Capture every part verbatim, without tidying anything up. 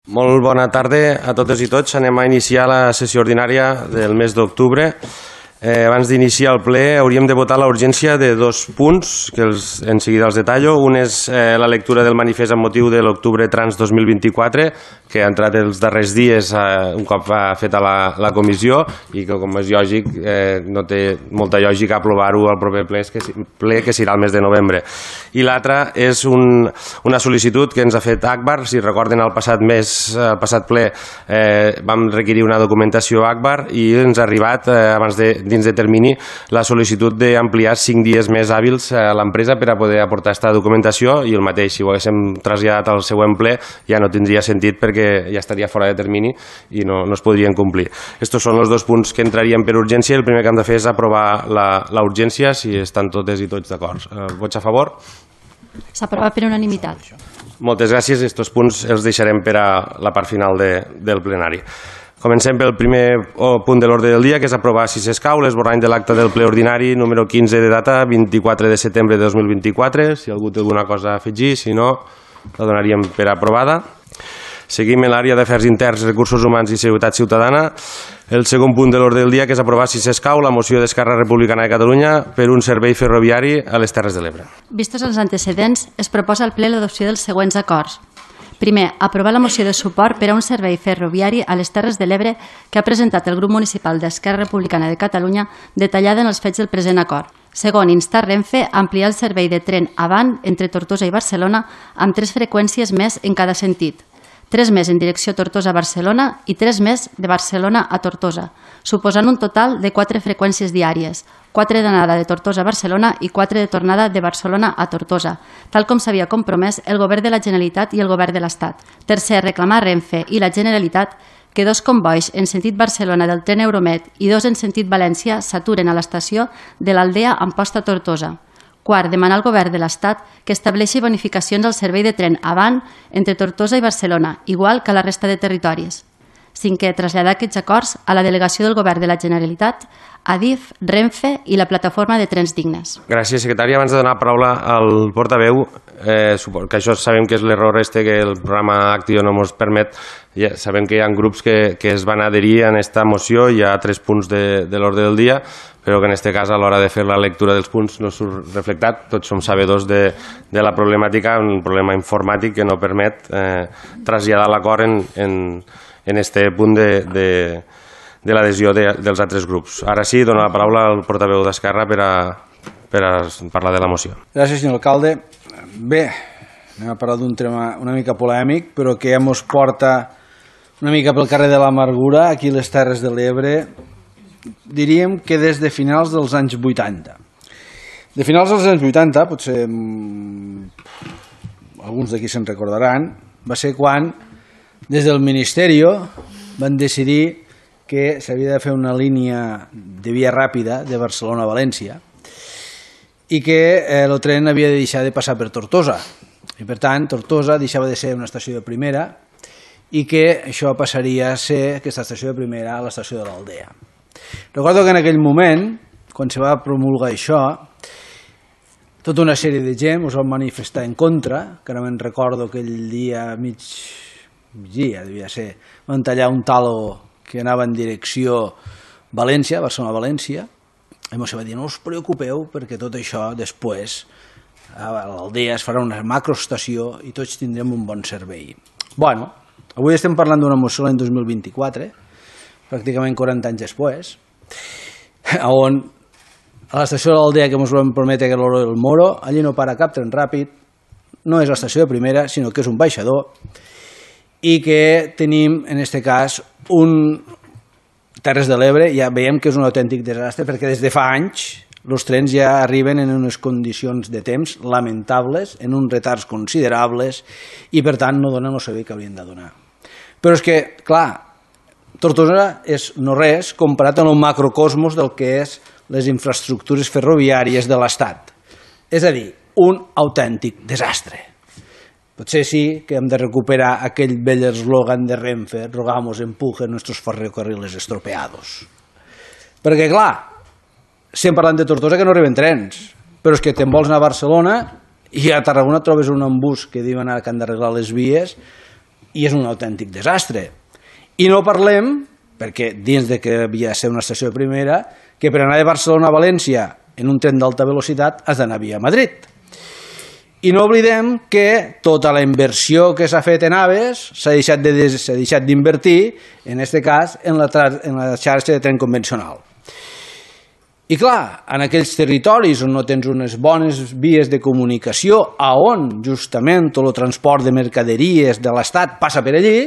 Molt bona tarda a totes i tots. Anem a iniciar la sessió ordinària del mes d'octubre. Eh, abans d'iniciar el ple hauríem de votar la urgència de dos punts, que els, en seguida els detallo. Un és eh, la lectura del manifest amb motiu de l'octubre trans dos mil vint-i-quatre, que ha entrat els darrers dies eh, un cop ha fet a la, la comissió i que, com és lògic, eh, no té molta lògica aprovar-ho al proper ple que, ple, que serà el mes de novembre. I l'altra és un, una sol·licitud que ens ha fet Agbar. Si recorden, el passat mes, el passat ple, eh, vam requerir una documentació Agbar i ens ha arribat, eh, abans de dins de termini, la sol·licitud d'ampliar cinc dies més hàbils a l'empresa per a poder aportar aquesta documentació, i el mateix, si ho haguéssim traslladat al següent ple, ja no tindria sentit perquè ja estaria fora de termini i no, no es podrien complir. Estos són els dos punts que entrarien per urgència. El primer que hem de fer és aprovar la, la urgència, si estan totes i tots d'acord. Eh, vots a favor? S'aprova per unanimitat. Moltes gràcies. Estos punts els deixarem per a la part final de, del plenari. Comencem pel primer punt de l'ordre del dia, que és aprovar, si s'escau, l'esborrany de l'acte del ple ordinari número quinze de data vint-i-quatre de setembre de dos mil vint-i-quatre. Si algú té alguna cosa a afegir, si no, la donaríem per aprovada. Seguim en l'àrea d'afers interns, recursos humans i seguretat ciutadana. El segon punt de l'ordre del dia, que és aprovar, si s'escau, la moció d'Esquerra Republicana de Catalunya per un servei ferroviari a les Terres de l'Ebre. Vistos els antecedents, es proposa al ple l'adopció dels següents acords. Primer, aprovar la moció de suport per a un servei ferroviari a les Terres de l'Ebre que ha presentat el grup municipal d'Esquerra Republicana de Catalunya, detallada en els fets del present acord. Segon, instar Renfe a ampliar el servei de tren avant entre Tortosa i Barcelona amb tres freqüències més en cada sentit. Tres més en direcció Tortosa-Barcelona i tres més de Barcelona a Tortosa, suposant un total de quatre freqüències diàries, quatre d'anada de Tortosa a Barcelona i quatre de tornada de Barcelona a Tortosa, tal com s'havia compromès el Govern de la Generalitat i el Govern de l'Estat. Tercer, reclamar a Renfe i la Generalitat que dos combois en sentit Barcelona del tren Euromed i dos en sentit València s'aturen a l'estació de l'Aldea Amposta Tortosa. Quart, demanar al Govern de l'Estat que estableixi bonificacions al servei de tren avant entre Tortosa i Barcelona, igual que a la resta de territoris. Cinquè, traslladar aquests acords a la delegació del Govern de la Generalitat, Adif, Renfe i la plataforma de Trens Dignes. Gràcies, secretària. Abans de donar paraula al portaveu, eh, que això sabem que és l'error este que el programa Actio no ens permet. Ja sabem que hi ha grups que, que es van adherir a aquesta moció, hi ha tres punts de, de l'ordre del dia, però que en aquest cas a l'hora de fer la lectura dels punts no surt reflectat. Tots som sabedors de, de la problemàtica, un problema informàtic que no permet eh, traslladar l'acord en, en, en este punt de, de, de l'adhesió de, dels altres grups. Ara sí, dono la paraula al portaveu d'Esquerra per a, per a parlar de la moció. Gràcies, senyor alcalde. Bé, anem a parlar d'un tema una mica polèmic, però que ja mos porta una mica pel carrer de l'Amargura, aquí a les Terres de l'Ebre, diríem que des de finals dels anys vuitanta. De finals dels anys vuitanta, potser alguns d'aquí se'n recordaran, va ser quan des del Ministeri van decidir que s'havia de fer una línia de via ràpida de Barcelona a València i que el tren havia de deixar de passar per Tortosa. I per tant, Tortosa deixava de ser una estació de primera i que això passaria a ser aquesta estació de primera a l'estació de l'Aldea. Recordo que en aquell moment, quan se va promulgar això, tota una sèrie de gent us van manifestar en contra, que ara me'n recordo aquell dia mig, migdia, devia ser, van tallar un talo que anava en direcció València, Barcelona-València, i ens va dir, no us preocupeu, perquè tot això després a l'Aldea es farà una macroestació i tots tindrem un bon servei. Bueno, avui estem parlant d'una moció l'any dos mil vint-i-quatre, pràcticament quaranta anys després, on a l'estació de l'Aldea que ens vam prometre que era l'Oro del Moro, allí no para cap tren ràpid, no és l'estació de primera, sinó que és un baixador, i que tenim, en aquest cas, un Terres de l'Ebre, ja veiem que és un autèntic desastre, perquè des de fa anys els trens ja arriben en unes condicions de temps lamentables, en uns retards considerables, i per tant no donen el servei que haurien de donar. Però és que, clar, Tortosa és no res comparat amb el macrocosmos del que és les infraestructures ferroviàries de l'Estat. És a dir, un autèntic desastre. Potser sí que hem de recuperar aquell vell eslògan de Renfe, rogamos empuje nuestros ferrocarriles estropeados. Perquè, clar, estem parlant de Tortosa que no arriben trens, però és que te'n vols anar a Barcelona i a Tarragona trobes un embús que diuen ara que han d'arreglar les vies i és un autèntic desastre. I no parlem, perquè dins de que havia de ser una estació de primera, que per anar de Barcelona a València en un tren d'alta velocitat has d'anar via Madrid. I no oblidem que tota la inversió que s'ha fet en AVEs s'ha deixat de, s'ha deixat d'invertir, en aquest cas, en la, en la xarxa de tren convencional. I clar, en aquells territoris on no tens unes bones vies de comunicació, a on justament tot el transport de mercaderies de l'Estat passa per allí,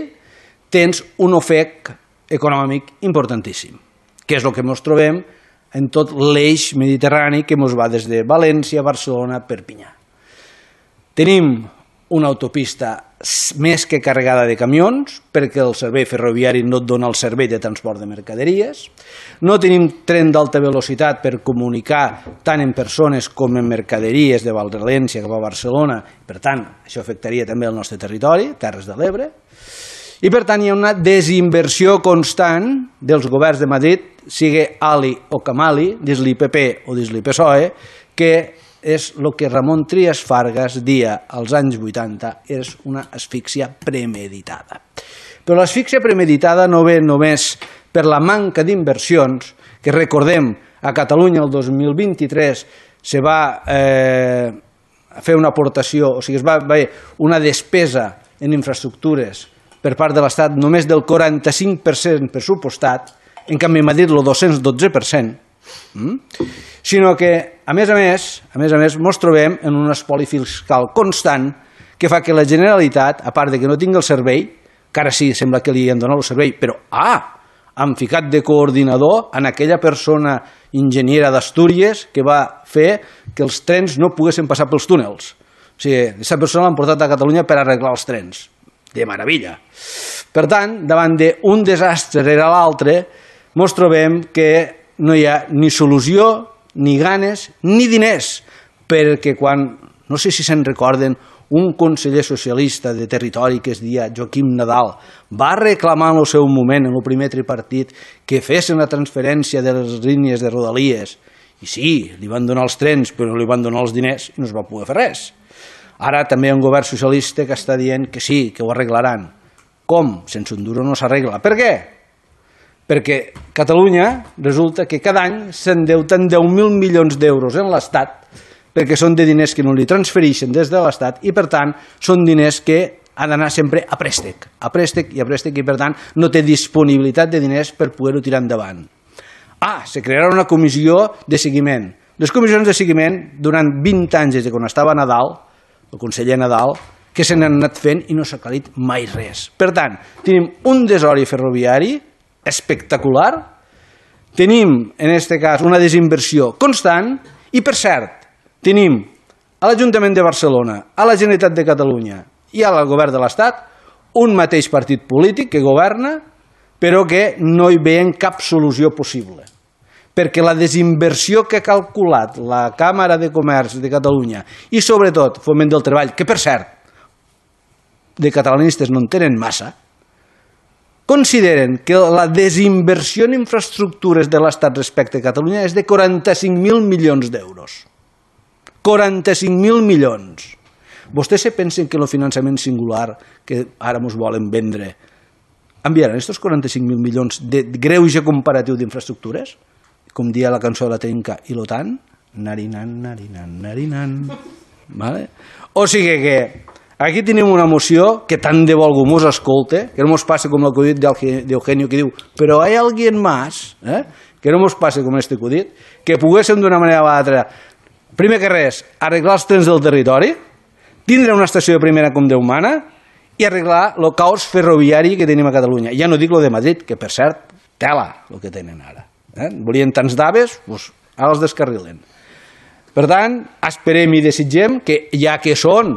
tens un ofec econòmic importantíssim, que és el que ens trobem en tot l'eix mediterrani que ens va des de València, Barcelona, Perpinyà. Tenim una autopista més que carregada de camions, perquè el servei ferroviari no et dona el servei de transport de mercaderies. No tenim tren d'alta velocitat per comunicar tant en persones com en mercaderies de València cap a Barcelona. Per tant, això afectaria també el nostre territori, Terres de l'Ebre. I per tant hi ha una desinversió constant dels governs de Madrid, sigui Ali o Camali, dins l'I P P o dins l'I P S O E, que és el que Ramon Trias Fargas dia als anys vuitanta, és una asfíxia premeditada. Però l'asfíxia premeditada no ve només per la manca d'inversions, que recordem, a Catalunya el dos mil vint-i-tres se va eh, fer una aportació, o sigui, es va haver una despesa en infraestructures per part de l'Estat només del quaranta-cinc per cent pressupostat, en canvi a Madrid el dos-cents dotze per cent, mm? Sinó que, a més a més, a més a més, ens trobem en un espoli fiscal constant que fa que la Generalitat, a part de que no tingui el servei, que ara sí, sembla que li han donat el servei, però, ah, han ficat de coordinador en aquella persona enginyera d'Astúries que va fer que els trens no poguessin passar pels túnels. O sigui, aquesta persona l'han portat a Catalunya per arreglar els trens. De meravella. Per tant, davant d'un desastre rere l'altre, ens trobem que no hi ha ni solució, ni ganes, ni diners, perquè quan, no sé si se'n recorden, un conseller socialista de territori que es deia Joaquim Nadal va reclamar en el seu moment, en el primer tripartit, que fessin la transferència de les línies de Rodalies. I sí, li van donar els trens, però no li van donar els diners i no es va poder fer res. Ara també hi ha un govern socialista que està dient que sí, que ho arreglaran. Com? Sense un duro no s'arregla. Per què? Perquè Catalunya resulta que cada any s'endeuten deu mil milions d'euros en l'Estat, perquè són de diners que no li transfereixen des de l'Estat i, per tant, són diners que han d'anar sempre a préstec, a préstec i a préstec, i, per tant, no té disponibilitat de diners per poder-ho tirar endavant. Ah, se crearà una comissió de seguiment. Les comissions de seguiment, durant vint anys des de quan estava Nadal, el conseller Nadal, que se n'han anat fent i no s'ha aclarit mai res. Per tant, tenim un desori ferroviari espectacular, tenim, en aquest cas, una desinversió constant i, per cert, tenim a l'Ajuntament de Barcelona, a la Generalitat de Catalunya i al govern de l'Estat un mateix partit polític que governa, però que no hi veien cap solució possible. Perquè la desinversió que ha calculat la Càmera de Comerç de Catalunya i, sobretot, Foment del Treball, que, per cert, de catalanistes no en tenen massa, consideren que la desinversió en infraestructures de l'Estat respecte a Catalunya és de quaranta-cinc mil milions d'euros. quaranta-cinc mil milions. Vostès se pensen que el finançament singular que ara ens volen vendre enviaran aquests quaranta-cinc mil milions de greuge comparatiu d'infraestructures? Com dia la cançó de la Trenca i l'OTAN? Narinan, narinan, narinan. Vale? O sigui que aquí tenim una moció que tant de bo algú mos escolte, que no mos passe com l'acudit d'Eugenio que diu però hi ha alguien más, eh? Que no mos passe com este acudit, que poguéssim d'una manera o altra, primer que res, arreglar els trens del territori, tindre una estació de primera com Déu mana i arreglar el caos ferroviari que tenim a Catalunya. Ja no dic lo de Madrid, que per cert, tela el que tenen ara. Eh? Volien tants d'Aves, doncs ara els descarrilen. Per tant, esperem i desitgem que, ja que són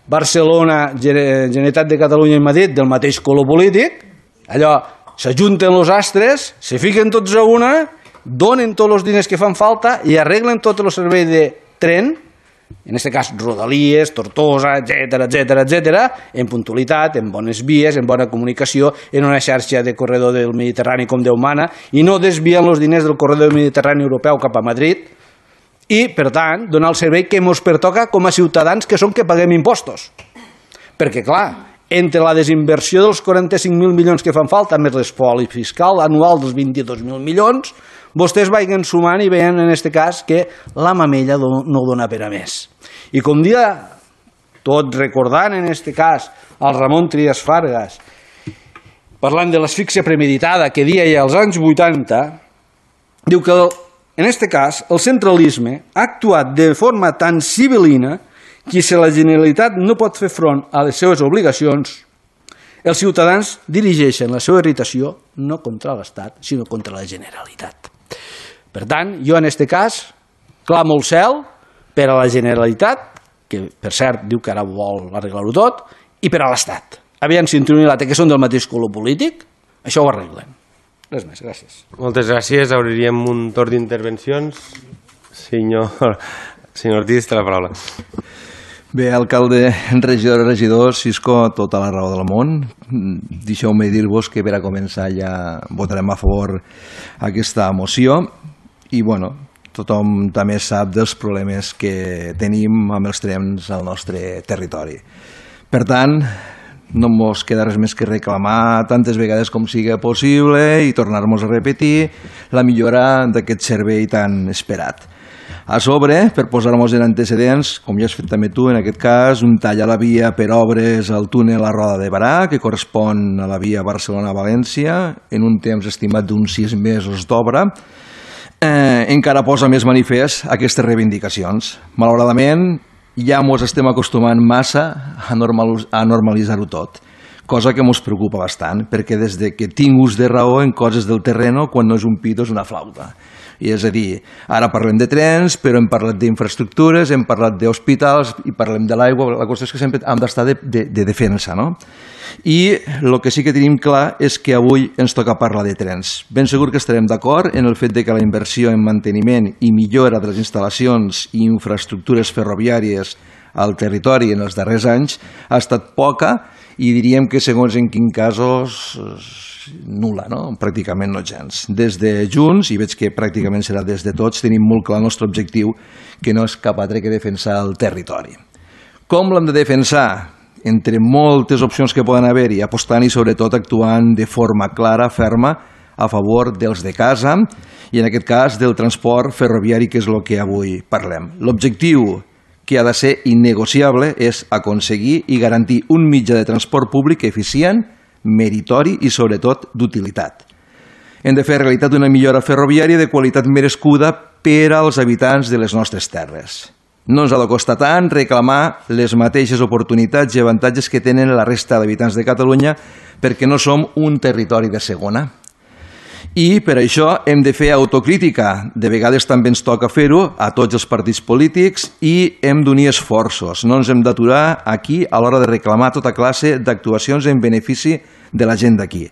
Barcelona, Generalitat de Catalunya i Madrid del mateix color polític, allò, s'ajunten els astres, se fiquen tots a una, donen tots els diners que fan falta i arreglen tot el servei de tren, en aquest cas Rodalies, Tortosa, etcètera, etcètera, etcètera, en puntualitat, en bones vies, en bona comunicació, en una xarxa de corredor del Mediterrani com Déu mana, i no desvien els diners del corredor del Mediterrani europeu cap a Madrid, i, per tant, donar el servei que ens pertoca com a ciutadans que som que paguem impostos. Perquè, clar, entre la desinversió dels quaranta-cinc mil milions que fan falta, més l'espoli fiscal anual dels vint-i-dos mil milions, vostès vagin sumant i veien en aquest cas que la mamella no dona per a més. I com dia, tot recordant en aquest cas el Ramon Trias Fargas, parlant de l'asfíxia premeditada que dia ja als anys vuitanta, diu que en aquest cas el centralisme ha actuat de forma tan civilina que si la Generalitat no pot fer front a les seves obligacions, els ciutadans dirigeixen la seva irritació no contra l'Estat, sinó contra la Generalitat. Per tant, jo en aquest cas clamo al cel per a la Generalitat, que per cert diu que ara vol arreglar-ho tot, i per a l'Estat. Aviam si entre un i l'altre, que són del mateix color polític, això ho arreglen. Res més, gràcies. Moltes gràcies. Obriríem un torn d'intervencions. Senyor, senyor Ortiz, té la paraula. Bé, alcalde, regidor, regidors, Cisco, tota la raó del món. Deixeu-me dir-vos que per a començar ja votarem a favor aquesta moció i, bueno, tothom també sap dels problemes que tenim amb els trens al nostre territori. Per tant, no ens queda res més que reclamar tantes vegades com sigui possible i tornar-nos a repetir la millora d'aquest servei tan esperat. A sobre, per posar-nos en antecedents, com ja has fet també tu en aquest cas, un tall a la via per obres al túnel a Roda de Barà, que correspon a la via Barcelona-València, en un temps estimat d'uns sis mesos d'obra, eh, encara posa més manifest aquestes reivindicacions. Malauradament, ja ens estem acostumant massa a, normal, a normalitzar-ho tot, cosa que ens preocupa bastant, perquè des de que tinc ús de raó en coses del terreno, quan no és un pito és una flauta. I és a dir, ara parlem de trens, però hem parlat d'infraestructures, hem parlat d'hospitals i parlem de l'aigua. La qüestió és que sempre hem d'estar de, de, de defensa, no? I el que sí que tenim clar és que avui ens toca parlar de trens. Ben segur que estarem d'acord en el fet de que la inversió en manteniment i millora de les instal·lacions i infraestructures ferroviàries al territori en els darrers anys ha estat poca i diríem que segons en quins casos nul·la, no? Pràcticament no gens. Des de Junts, i veig que pràcticament serà des de tots, tenim molt clar el nostre objectiu, que no és cap altre que defensar el territori. Com l'hem de defensar? Entre moltes opcions que poden haver-hi, apostant i sobretot actuant de forma clara, ferma, a favor dels de casa i en aquest cas del transport ferroviari, que és el que avui parlem. L'objectiu que ha de ser innegociable és aconseguir i garantir un mitjà de transport públic eficient, meritori i sobretot d'utilitat. Hem de fer realitat una millora ferroviària de qualitat merescuda per als habitants de les nostres terres. No ens ha de costar tant reclamar les mateixes oportunitats i avantatges que tenen la resta d'habitants de Catalunya perquè no som un territori de segona. I per això hem de fer autocrítica. De vegades també ens toca fer-ho a tots els partits polítics i hem d'unir esforços. No ens hem d'aturar aquí a l'hora de reclamar tota classe d'actuacions en benefici de la gent d'aquí.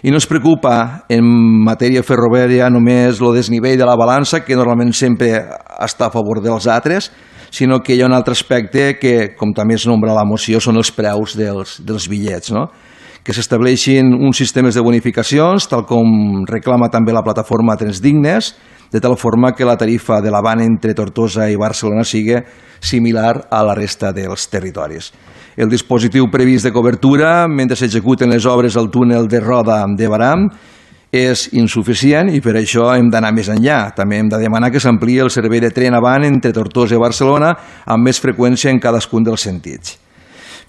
I no ens preocupa en matèria ferroviària només el desnivell de la balança, que normalment sempre està a favor dels altres, sinó que hi ha un altre aspecte que, com també es nombra a la moció, són els preus dels, dels bitllets, no? Que s'estableixin uns sistemes de bonificacions, tal com reclama també la plataforma Trens Dignes, de tal forma que la tarifa de l'avant entre Tortosa i Barcelona sigui similar a la resta dels territoris. El dispositiu previst de cobertura, mentre s'executen les obres al túnel de Roda de Barà, és insuficient i per això hem d'anar més enllà. També hem de demanar que s'ampliï el servei de tren avant entre Tortosa i Barcelona amb més freqüència en cadascun dels sentits.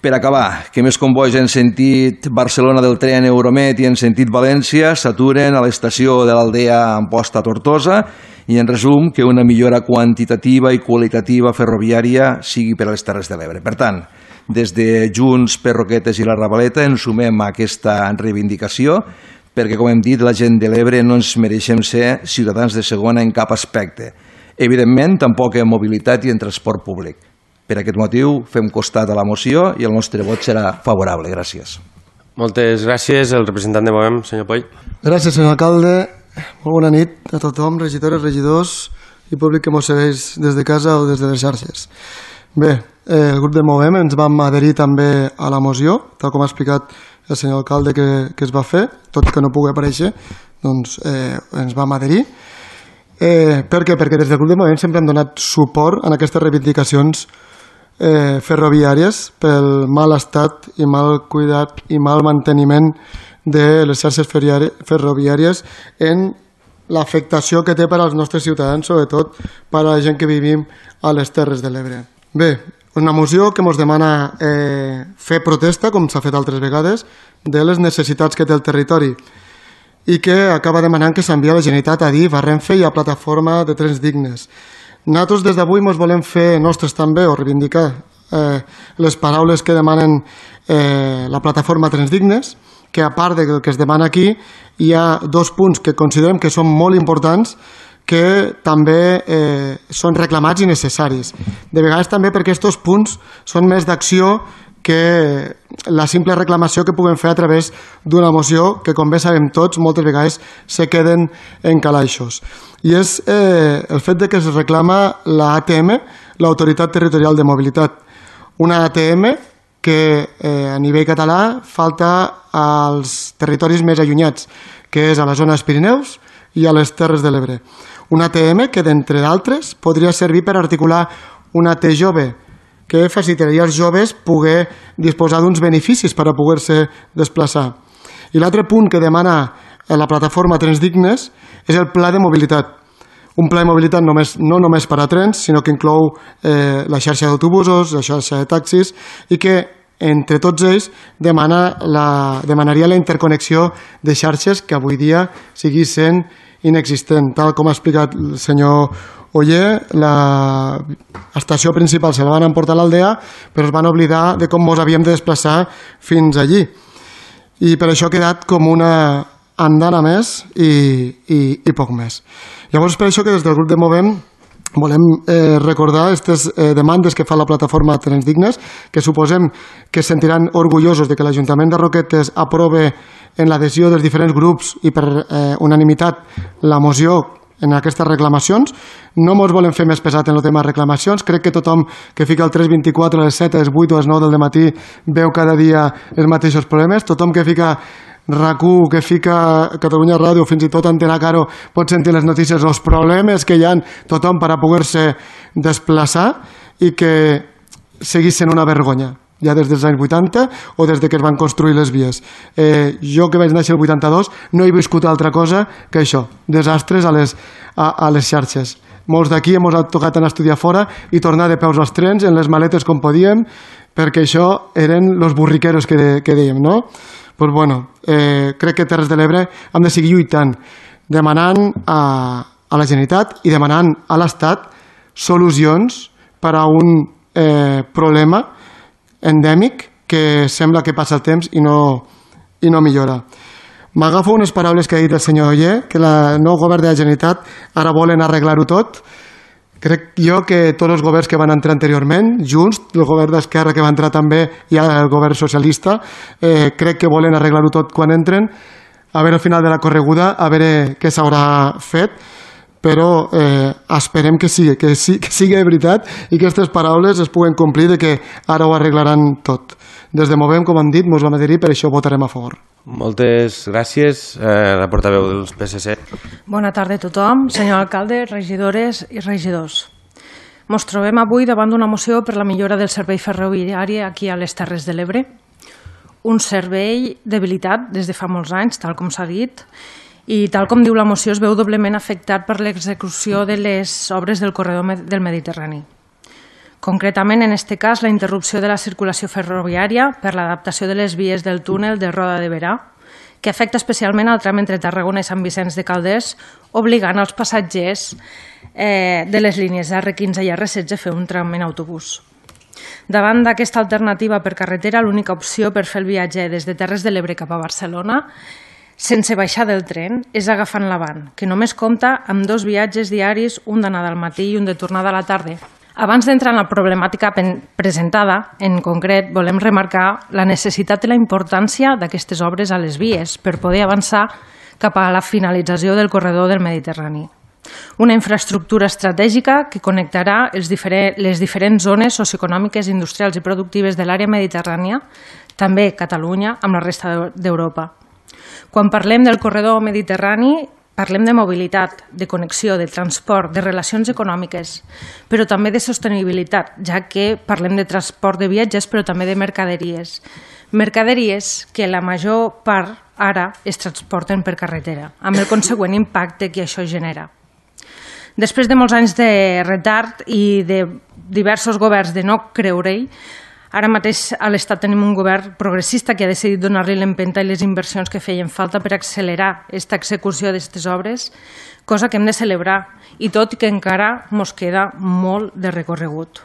Per acabar, que més convois en sentit Barcelona del tren Euromet i en sentit València s'aturen a l'estació de l'Aldea Amposta a Tortosa i en resum que una millora quantitativa i qualitativa ferroviària sigui per a les Terres de l'Ebre. Per tant, des de Junts per Roquetes i la Ravaleta ens sumem a aquesta reivindicació perquè, com hem dit, la gent de l'Ebre no ens mereixem ser ciutadans de segona en cap aspecte. Evidentment, tampoc en mobilitat i en transport públic. Per aquest motiu, fem costat a la moció i el nostre vot serà favorable. Gràcies. Moltes gràcies. El representant de Movem, senyor Poll. Gràcies, senyor alcalde. Molt bona nit a tothom, regidores, regidors i públic que ens segueix des de casa o des de les xarxes. Bé, eh, el grup de Movem ens vam adherir també a la moció, tal com ha explicat el senyor alcalde que, que es va fer, tot que no pugui aparèixer, doncs eh, ens vam adherir. Eh, per què? Perquè des del grup de Movem sempre hem donat suport en aquestes reivindicacions eh, ferroviàries pel mal estat i mal cuidat i mal manteniment de les xarxes ferroviàries en l'afectació que té per als nostres ciutadans, sobretot per a la gent que vivim a les Terres de l'Ebre. Bé, una moció que ens demana eh, fer protesta, com s'ha fet altres vegades, de les necessitats que té el territori i que acaba demanant que s'envia a la Generalitat a D I F, a Renfe i a Plataforma de Trens Dignes. Nosaltres des d'avui ens volem fer nostres també o reivindicar eh, les paraules que demanen eh, la Plataforma Trens Dignes, que a part del que es demana aquí hi ha dos punts que considerem que són molt importants que també eh, són reclamats i necessaris. De vegades també perquè aquests punts són més d'acció que la simple reclamació que puguem fer a través d'una moció que, com bé sabem tots, moltes vegades se queden en calaixos. I és eh, el fet de que es reclama l'A T M, l'Autoritat Territorial de Mobilitat. Una A T M que eh, a nivell català falta als territoris més allunyats, que és a la zona dels Pirineus i a les Terres de l'Ebre. Una A T M que, d'entre d'altres, podria servir per articular una T jove, que facilitaria als joves poder disposar d'uns beneficis per a poder-se desplaçar. I l'altre punt que demana la plataforma Trens Dignes és el pla de mobilitat. Un pla de mobilitat només, no només per a trens, sinó que inclou eh, la xarxa d'autobusos, la xarxa de taxis i que, entre tots ells, demana la, demanaria la interconnexió de xarxes que avui dia sigui sent inexistent. Tal com ha explicat el senyor Oller, l'estació principal se la van emportar a l'Aldea, però es van oblidar de com ens havíem de desplaçar fins allí. I per això ha quedat com una andana més i, i, i poc més. Llavors, per això que des del grup de Movem volem eh, recordar aquestes eh, demandes que fa la plataforma Trens Dignes, que suposem que es sentiran orgullosos de que l'Ajuntament de Roquetes aprove en l'adhesió dels diferents grups i per eh, unanimitat la moció en aquestes reclamacions. No ens volem fer més pesat en el tema de reclamacions. Crec que tothom que fica el tres vint-i-quatre a les set, a les vuit o a les nou del matí veu cada dia els mateixos problemes. Tothom que fica RAC u, que fica Catalunya Ràdio, fins i tot Antena Caro, pot sentir les notícies, els problemes que hi ha tothom per a poder-se desplaçar i que seguís sent una vergonya, ja des dels anys vuitanta o des de que es van construir les vies. Eh, jo que vaig néixer el vuitanta-dos no he viscut altra cosa que això, desastres a les, a, a les xarxes. Molts d'aquí hem tocat anar a estudiar fora i tornar de peus als trens, en les maletes com podíem, perquè això eren els burriqueros que, de, que dèiem, no? Pues bueno, eh, crec que Terres de l'Ebre hem de seguir lluitant, demanant a, a la Generalitat i demanant a l'Estat solucions per a un eh, problema endèmic que sembla que passa el temps i no, i no millora. M'agafo unes paraules que ha dit el senyor Oller, que el nou govern de la Generalitat ara volen arreglar-ho tot. Crec jo que tots els governs que van entrar anteriorment, Junts, el govern d'Esquerra que va entrar també i el govern socialista, eh, crec que volen arreglar-ho tot quan entren, a veure al final de la correguda, a veure què s'haurà fet, però eh, esperem que sigui, que, sí, que sigui de veritat i que aquestes paraules es puguen complir de que ara ho arreglaran tot. Des de Movem, com hem dit, mos vam adherir, per això votarem a favor. Moltes gràcies, eh, la portaveu dels P S C. Bona tarda a tothom, senyor alcalde, regidores i regidors. Ens trobem avui davant d'una moció per la millora del servei ferroviari aquí a les Terres de l'Ebre. Un servei debilitat des de fa molts anys, tal com s'ha dit, i tal com diu la moció es veu doblement afectat per l'execució de les obres del corredor del Mediterrani. Concretament, en aquest cas, la interrupció de la circulació ferroviària per l'adaptació de les vies del túnel de Roda de Berà, que afecta especialment el tram entre Tarragona i Sant Vicenç de Calders, obligant els passatgers eh, de les línies R quinze i R setze a fer un tram en autobús. Davant d'aquesta alternativa per carretera, l'única opció per fer el viatge des de Terres de l'Ebre cap a Barcelona sense baixar del tren és agafant l'Avant, que només compta amb dos viatges diaris, un d'anada al matí i un de tornada a la tarda. Abans d'entrar en la problemàtica presentada, en concret volem remarcar la necessitat i la importància d'aquestes obres a les vies per poder avançar cap a la finalització del corredor del Mediterrani. Una infraestructura estratègica que connectarà els diferents, les diferents zones socioeconòmiques, industrials i productives de l'àrea mediterrània, també Catalunya, amb la resta d'Europa. Quan parlem del corredor mediterrani, Parlem de mobilitat, de connexió, de transport, de relacions econòmiques, però també de sostenibilitat, ja que parlem de transport de viatges, però també de mercaderies. Mercaderies que la major part ara es transporten per carretera, amb el consegüent impacte que això genera. Després de molts anys de retard i de diversos governs de no creure-hi, ara mateix a l'Estat tenim un govern progressista que ha decidit donar-li l'empenta i les inversions que feien falta per accelerar aquesta execució d'aquestes obres, cosa que hem de celebrar, i tot i que encara mos queda molt de recorregut.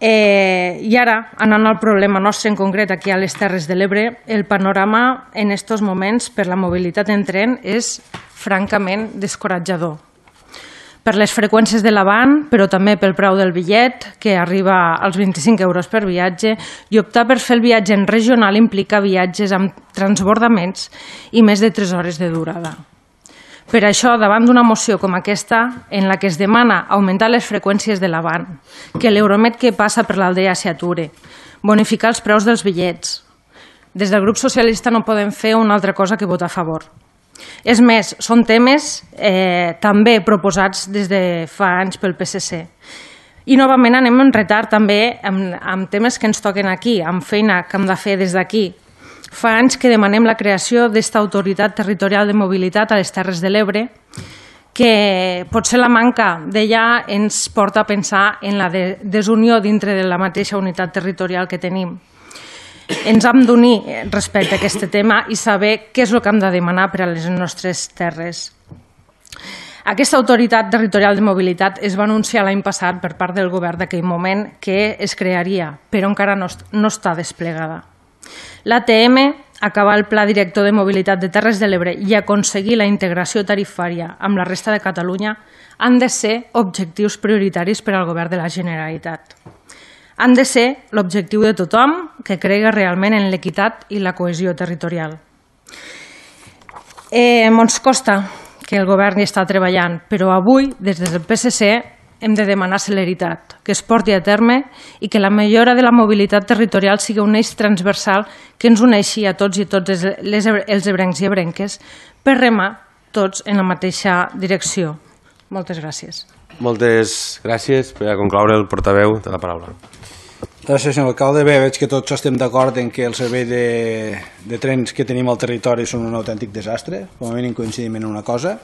Eh, I ara, anant al problema nostre en concret aquí a les Terres de l'Ebre, el panorama en aquests moments per la mobilitat en tren és francament descoratjador. Per les freqüències de l'avant, però també pel preu del bitllet, que arriba als vint-i-cinc euros per viatge, i optar per fer el viatge en regional implica viatges amb transbordaments i més de tres hores de durada. Per això, davant d'una moció com aquesta, en la que es demana augmentar les freqüències de l'avant, que l'Euromed que passa per l'Aldea s'ature, bonificar els preus dels bitllets, des del grup socialista no podem fer una altra cosa que votar a favor. És més, són temes eh, també proposats des de fa anys pel P S C. I novament anem en retard també amb, amb temes que ens toquen aquí, amb feina que hem de fer des d'aquí. Fa anys que demanem la creació d'esta autoritat territorial de mobilitat a les Terres de l'Ebre, que potser la manca d'ella ens porta a pensar en la de desunió dintre de la mateixa unitat territorial que tenim. Ens hem d'unir respecte a aquest tema i saber què és el que hem de demanar per a les nostres terres. Aquesta autoritat territorial de mobilitat es va anunciar l'any passat per part del govern d'aquell moment que es crearia, però encara no, no està desplegada. L'A T M, acabar el Pla Director de Mobilitat de Terres de l'Ebre i aconseguir la integració tarifària amb la resta de Catalunya han de ser objectius prioritaris per al govern de la Generalitat. Han de ser l'objectiu de tothom que cregui realment en l'equitat i la cohesió territorial. Eh, ens costa que el govern hi està treballant, però avui, des del P S C, hem de demanar celeritat, que es porti a terme i que la millora de la mobilitat territorial sigui un eix transversal que ens uneixi a tots i tots les, els ebrencs i ebrenques per remar tots en la mateixa direcció. Moltes gràcies. Moltes gràcies. Per a concloure, el portaveu de la paraula. Gràcies, senyor alcalde. Bé, veig que tots estem d'acord en que el servei de, de trens que tenim al territori són un autèntic desastre. Com a mínim coincidim en una cosa.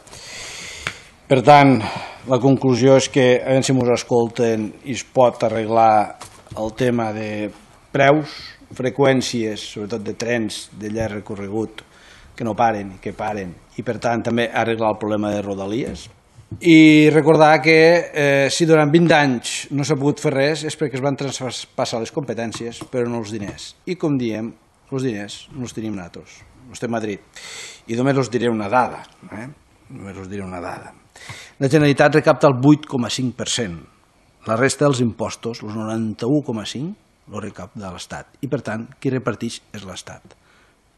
Per tant, la conclusió és que a veure si ens escolten i es pot arreglar el tema de preus, freqüències, sobretot de trens de llarg recorregut, que no paren i que paren, i per tant també arreglar el problema de rodalies. I recordar que eh, si durant vint anys no s'ha pogut fer res és perquè es van traspassar les competències però no els diners. I com diem, els diners no els tenim nosaltres, els té Madrid. I només us diré una dada. Eh? Només us diré una dada. La Generalitat recapta el vuit coma cinc per cent. La resta dels impostos, el noranta-u coma cinc per cent, el recapta l'Estat. I per tant, qui reparteix és l'Estat.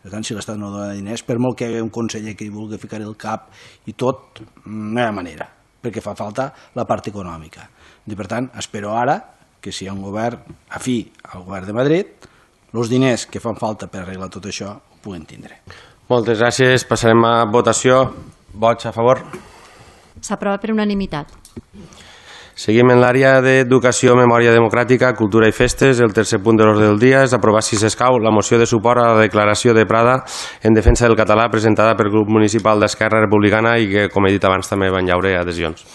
Per tant, si l'Estat no dona diners, per molt que hi hagi un conseller que hi vulgui ficar el cap i tot, no hi ha manera, perquè fa falta la part econòmica. I per tant, espero ara que si hi ha un govern afí al govern de Madrid, els diners que fan falta per arreglar tot això ho puguen tindre. Moltes gràcies. Passarem a votació. Vots a favor? S'aprova per unanimitat. Seguim en l'àrea d'Educació, Memòria Democràtica, Cultura i Festes. El tercer punt de l'ordre del dia és aprovar, si s'escau, la moció de suport a la declaració de Prada en defensa del català presentada pel grup municipal d'Esquerra Republicana i que, com he dit abans, també van llaure adhesions.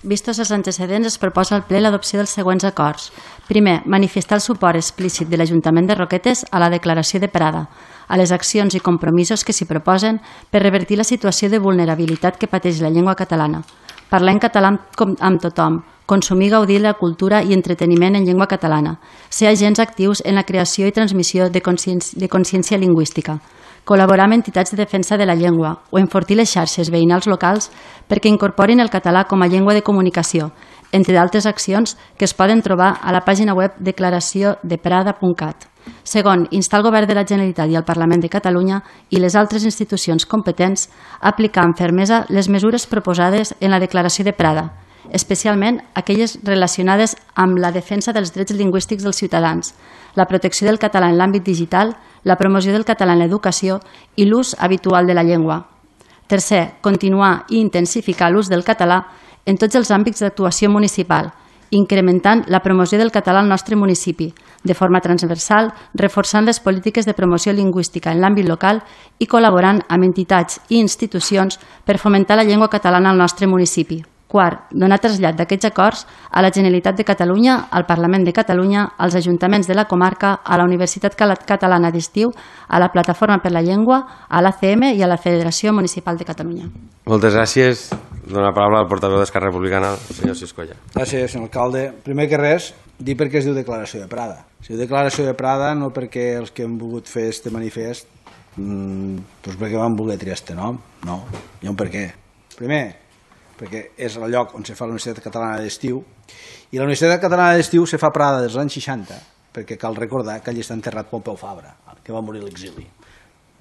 Vistos els antecedents, es proposa al ple l'adopció dels següents acords. Primer, manifestar el suport explícit de l'Ajuntament de Roquetes a la declaració de Prada, a les accions i compromisos que s'hi proposen per revertir la situació de vulnerabilitat que pateix la llengua catalana. Parlar en català amb tothom, consumir, gaudir de la cultura i entreteniment en llengua catalana, ser agents actius en la creació i transmissió de consciència, de consciència lingüística, col·laborar amb entitats de defensa de la llengua o enfortir les xarxes veïnals locals perquè incorporin el català com a llengua de comunicació, entre d'altres accions que es poden trobar a la pàgina web declaració de prada punt cat. Segon, instar el Govern de la Generalitat i el Parlament de Catalunya i les altres institucions competents a aplicar amb fermesa les mesures proposades en la declaració de Prada, especialment aquelles relacionades amb la defensa dels drets lingüístics dels ciutadans, la protecció del català en l'àmbit digital, la promoció del català en l'educació i l'ús habitual de la llengua. Tercer, continuar i intensificar l'ús del català en tots els àmbits d'actuació municipal, incrementant la promoció del català al nostre municipi, de forma transversal, reforçant les polítiques de promoció lingüística en l'àmbit local i col·laborant amb entitats i institucions per fomentar la llengua catalana al nostre municipi. Quart, donar trasllat d'aquests acords a la Generalitat de Catalunya, al Parlament de Catalunya, als ajuntaments de la comarca, a la Universitat Catalana d'Estiu, a la Plataforma per la Llengua, a l'A C M i a la Federació Municipal de Catalunya. Moltes gràcies. Dono la paraula al portaveu d'Esquerra Republicana, el senyor Siscolla. Gràcies, senyor alcalde. Primer que res, dir per què es diu Declaració de Prada. Es diu Declaració de Prada no perquè els que han volgut fer este manifest mmm, doncs perquè van voler triar este nom. No, hi ha un per què. Primer, perquè és el lloc on se fa la Universitat Catalana d'Estiu, i la Universitat Catalana d'Estiu se fa a Prada dels anys seixanta, perquè cal recordar que allí està enterrat Pompeu Fabra, que va morir a l'exili.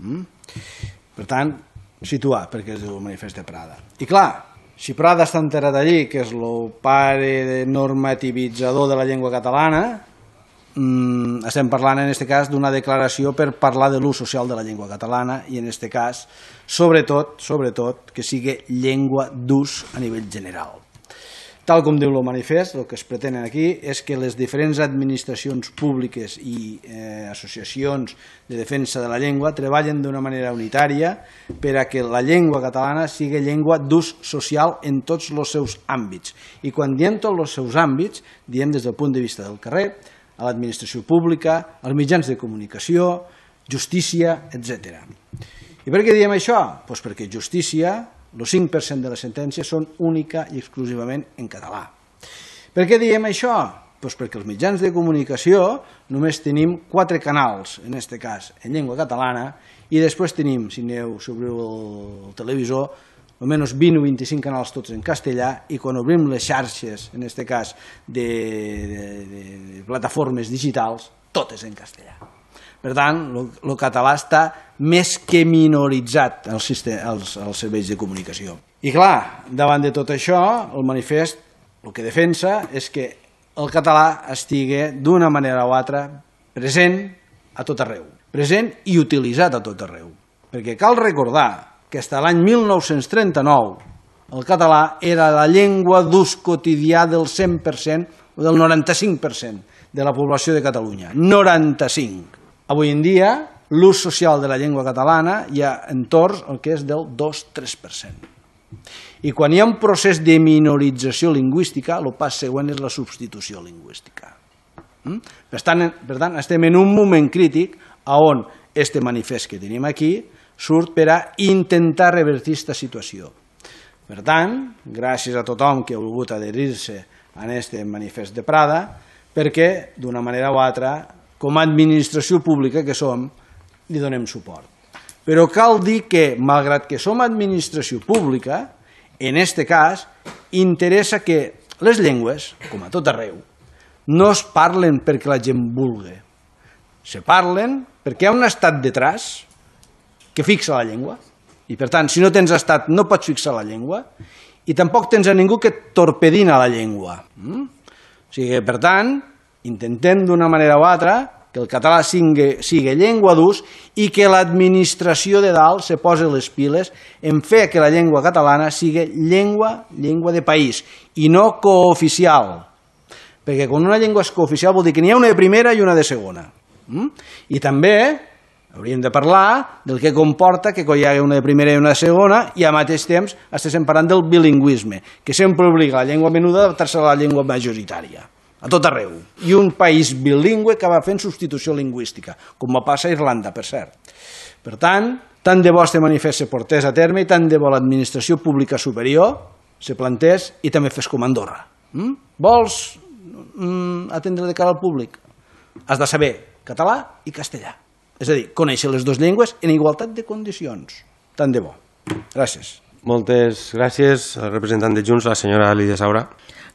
Mm? Per tant, situar perquè es diu el manifest de Prada. I clar, si Prada està enterrat allí, que és el pare normativitzador de la llengua catalana, mmm, estem parlant en aquest cas d'una declaració per parlar de l'ús social de la llengua catalana i en aquest cas, sobretot, sobretot, que sigui llengua d'ús a nivell general. Tal com diu el manifest, el que es pretén aquí és que les diferents administracions públiques i eh, associacions de defensa de la llengua treballen d'una manera unitària per a que la llengua catalana sigui llengua d'ús social en tots els seus àmbits. I quan diem tots els seus àmbits, diem des del punt de vista del carrer, a l'administració pública, als mitjans de comunicació, justícia, etcètera. I per què diem això? Doncs perquè justícia, el cinc per cent de les sentències són única i exclusivament en català. Per què diem això? Doncs perquè els mitjans de comunicació només tenim quatre canals, en aquest cas, en llengua catalana, i després tenim, si aneu, si obriu el televisor, almenys vint o vint-i-cinc canals tots en castellà, i quan obrim les xarxes, en aquest cas, de, de, de, de plataformes digitals, totes en castellà. Per tant, el català està més que minoritzat als, als, als serveis de comunicació. I clar, davant de tot això, el manifest el que defensa és que el català estigui d'una manera o altra present a tot arreu, present i utilitzat a tot arreu. Perquè cal recordar que fins a l'any mil nou-cents trenta-nou el català era la llengua d'ús quotidià del cent per cent o del noranta-cinc per cent de la població de Catalunya. noranta-cinc. Avui en dia, l'ús social de la llengua catalana hi ha entorn al que és del dos a tres per cent. I quan hi ha un procés de minorització lingüística, el pas següent és la substitució lingüística. Per tant, per tant estem en un moment crític on este manifest que tenim aquí surt per a intentar revertir aquesta situació. Per tant, gràcies a tothom que ha volgut adherir-se a aquest manifest de Prada, perquè d'una manera o altra, com a administració pública que som, li donem suport. Però cal dir que, malgrat que som administració pública, en aquest cas, interessa que les llengües, com a tot arreu, no es parlen perquè la gent vulgui. Se parlen perquè hi ha un estat detrás que fixa la llengua. I, per tant, si no tens estat, no pots fixar la llengua i tampoc tens a ningú que et torpedina la llengua. Mm? O sigui, per tant, intentem d'una manera o altra que el català sigui, sigui llengua d'ús i que l'administració de dalt se posi les piles en fer que la llengua catalana sigui llengua, llengua de país i no cooficial. Perquè quan una llengua és cooficial vol dir que n'hi ha una de primera i una de segona. Mm? I també hauríem de parlar del que comporta que hi hagi una de primera i una de segona i al mateix temps estem parlant del bilingüisme, que sempre obliga la llengua menuda a adaptar-se a la llengua majoritària. A tot arreu. I un país bilingüe que va fent substitució lingüística, com va passar a Irlanda, per cert. Per tant, tant de bo este manifest se portés a terme i tant de bo l'administració pública superior se plantés i també fes com Andorra. Mm? Vols mm, atendre de cara al públic? Has de saber català i castellà. És a dir, conèixer les dues llengües en igualtat de condicions. Tant de bo. Gràcies. Moltes gràcies al representant de Junts, la senyora Lídia Saura.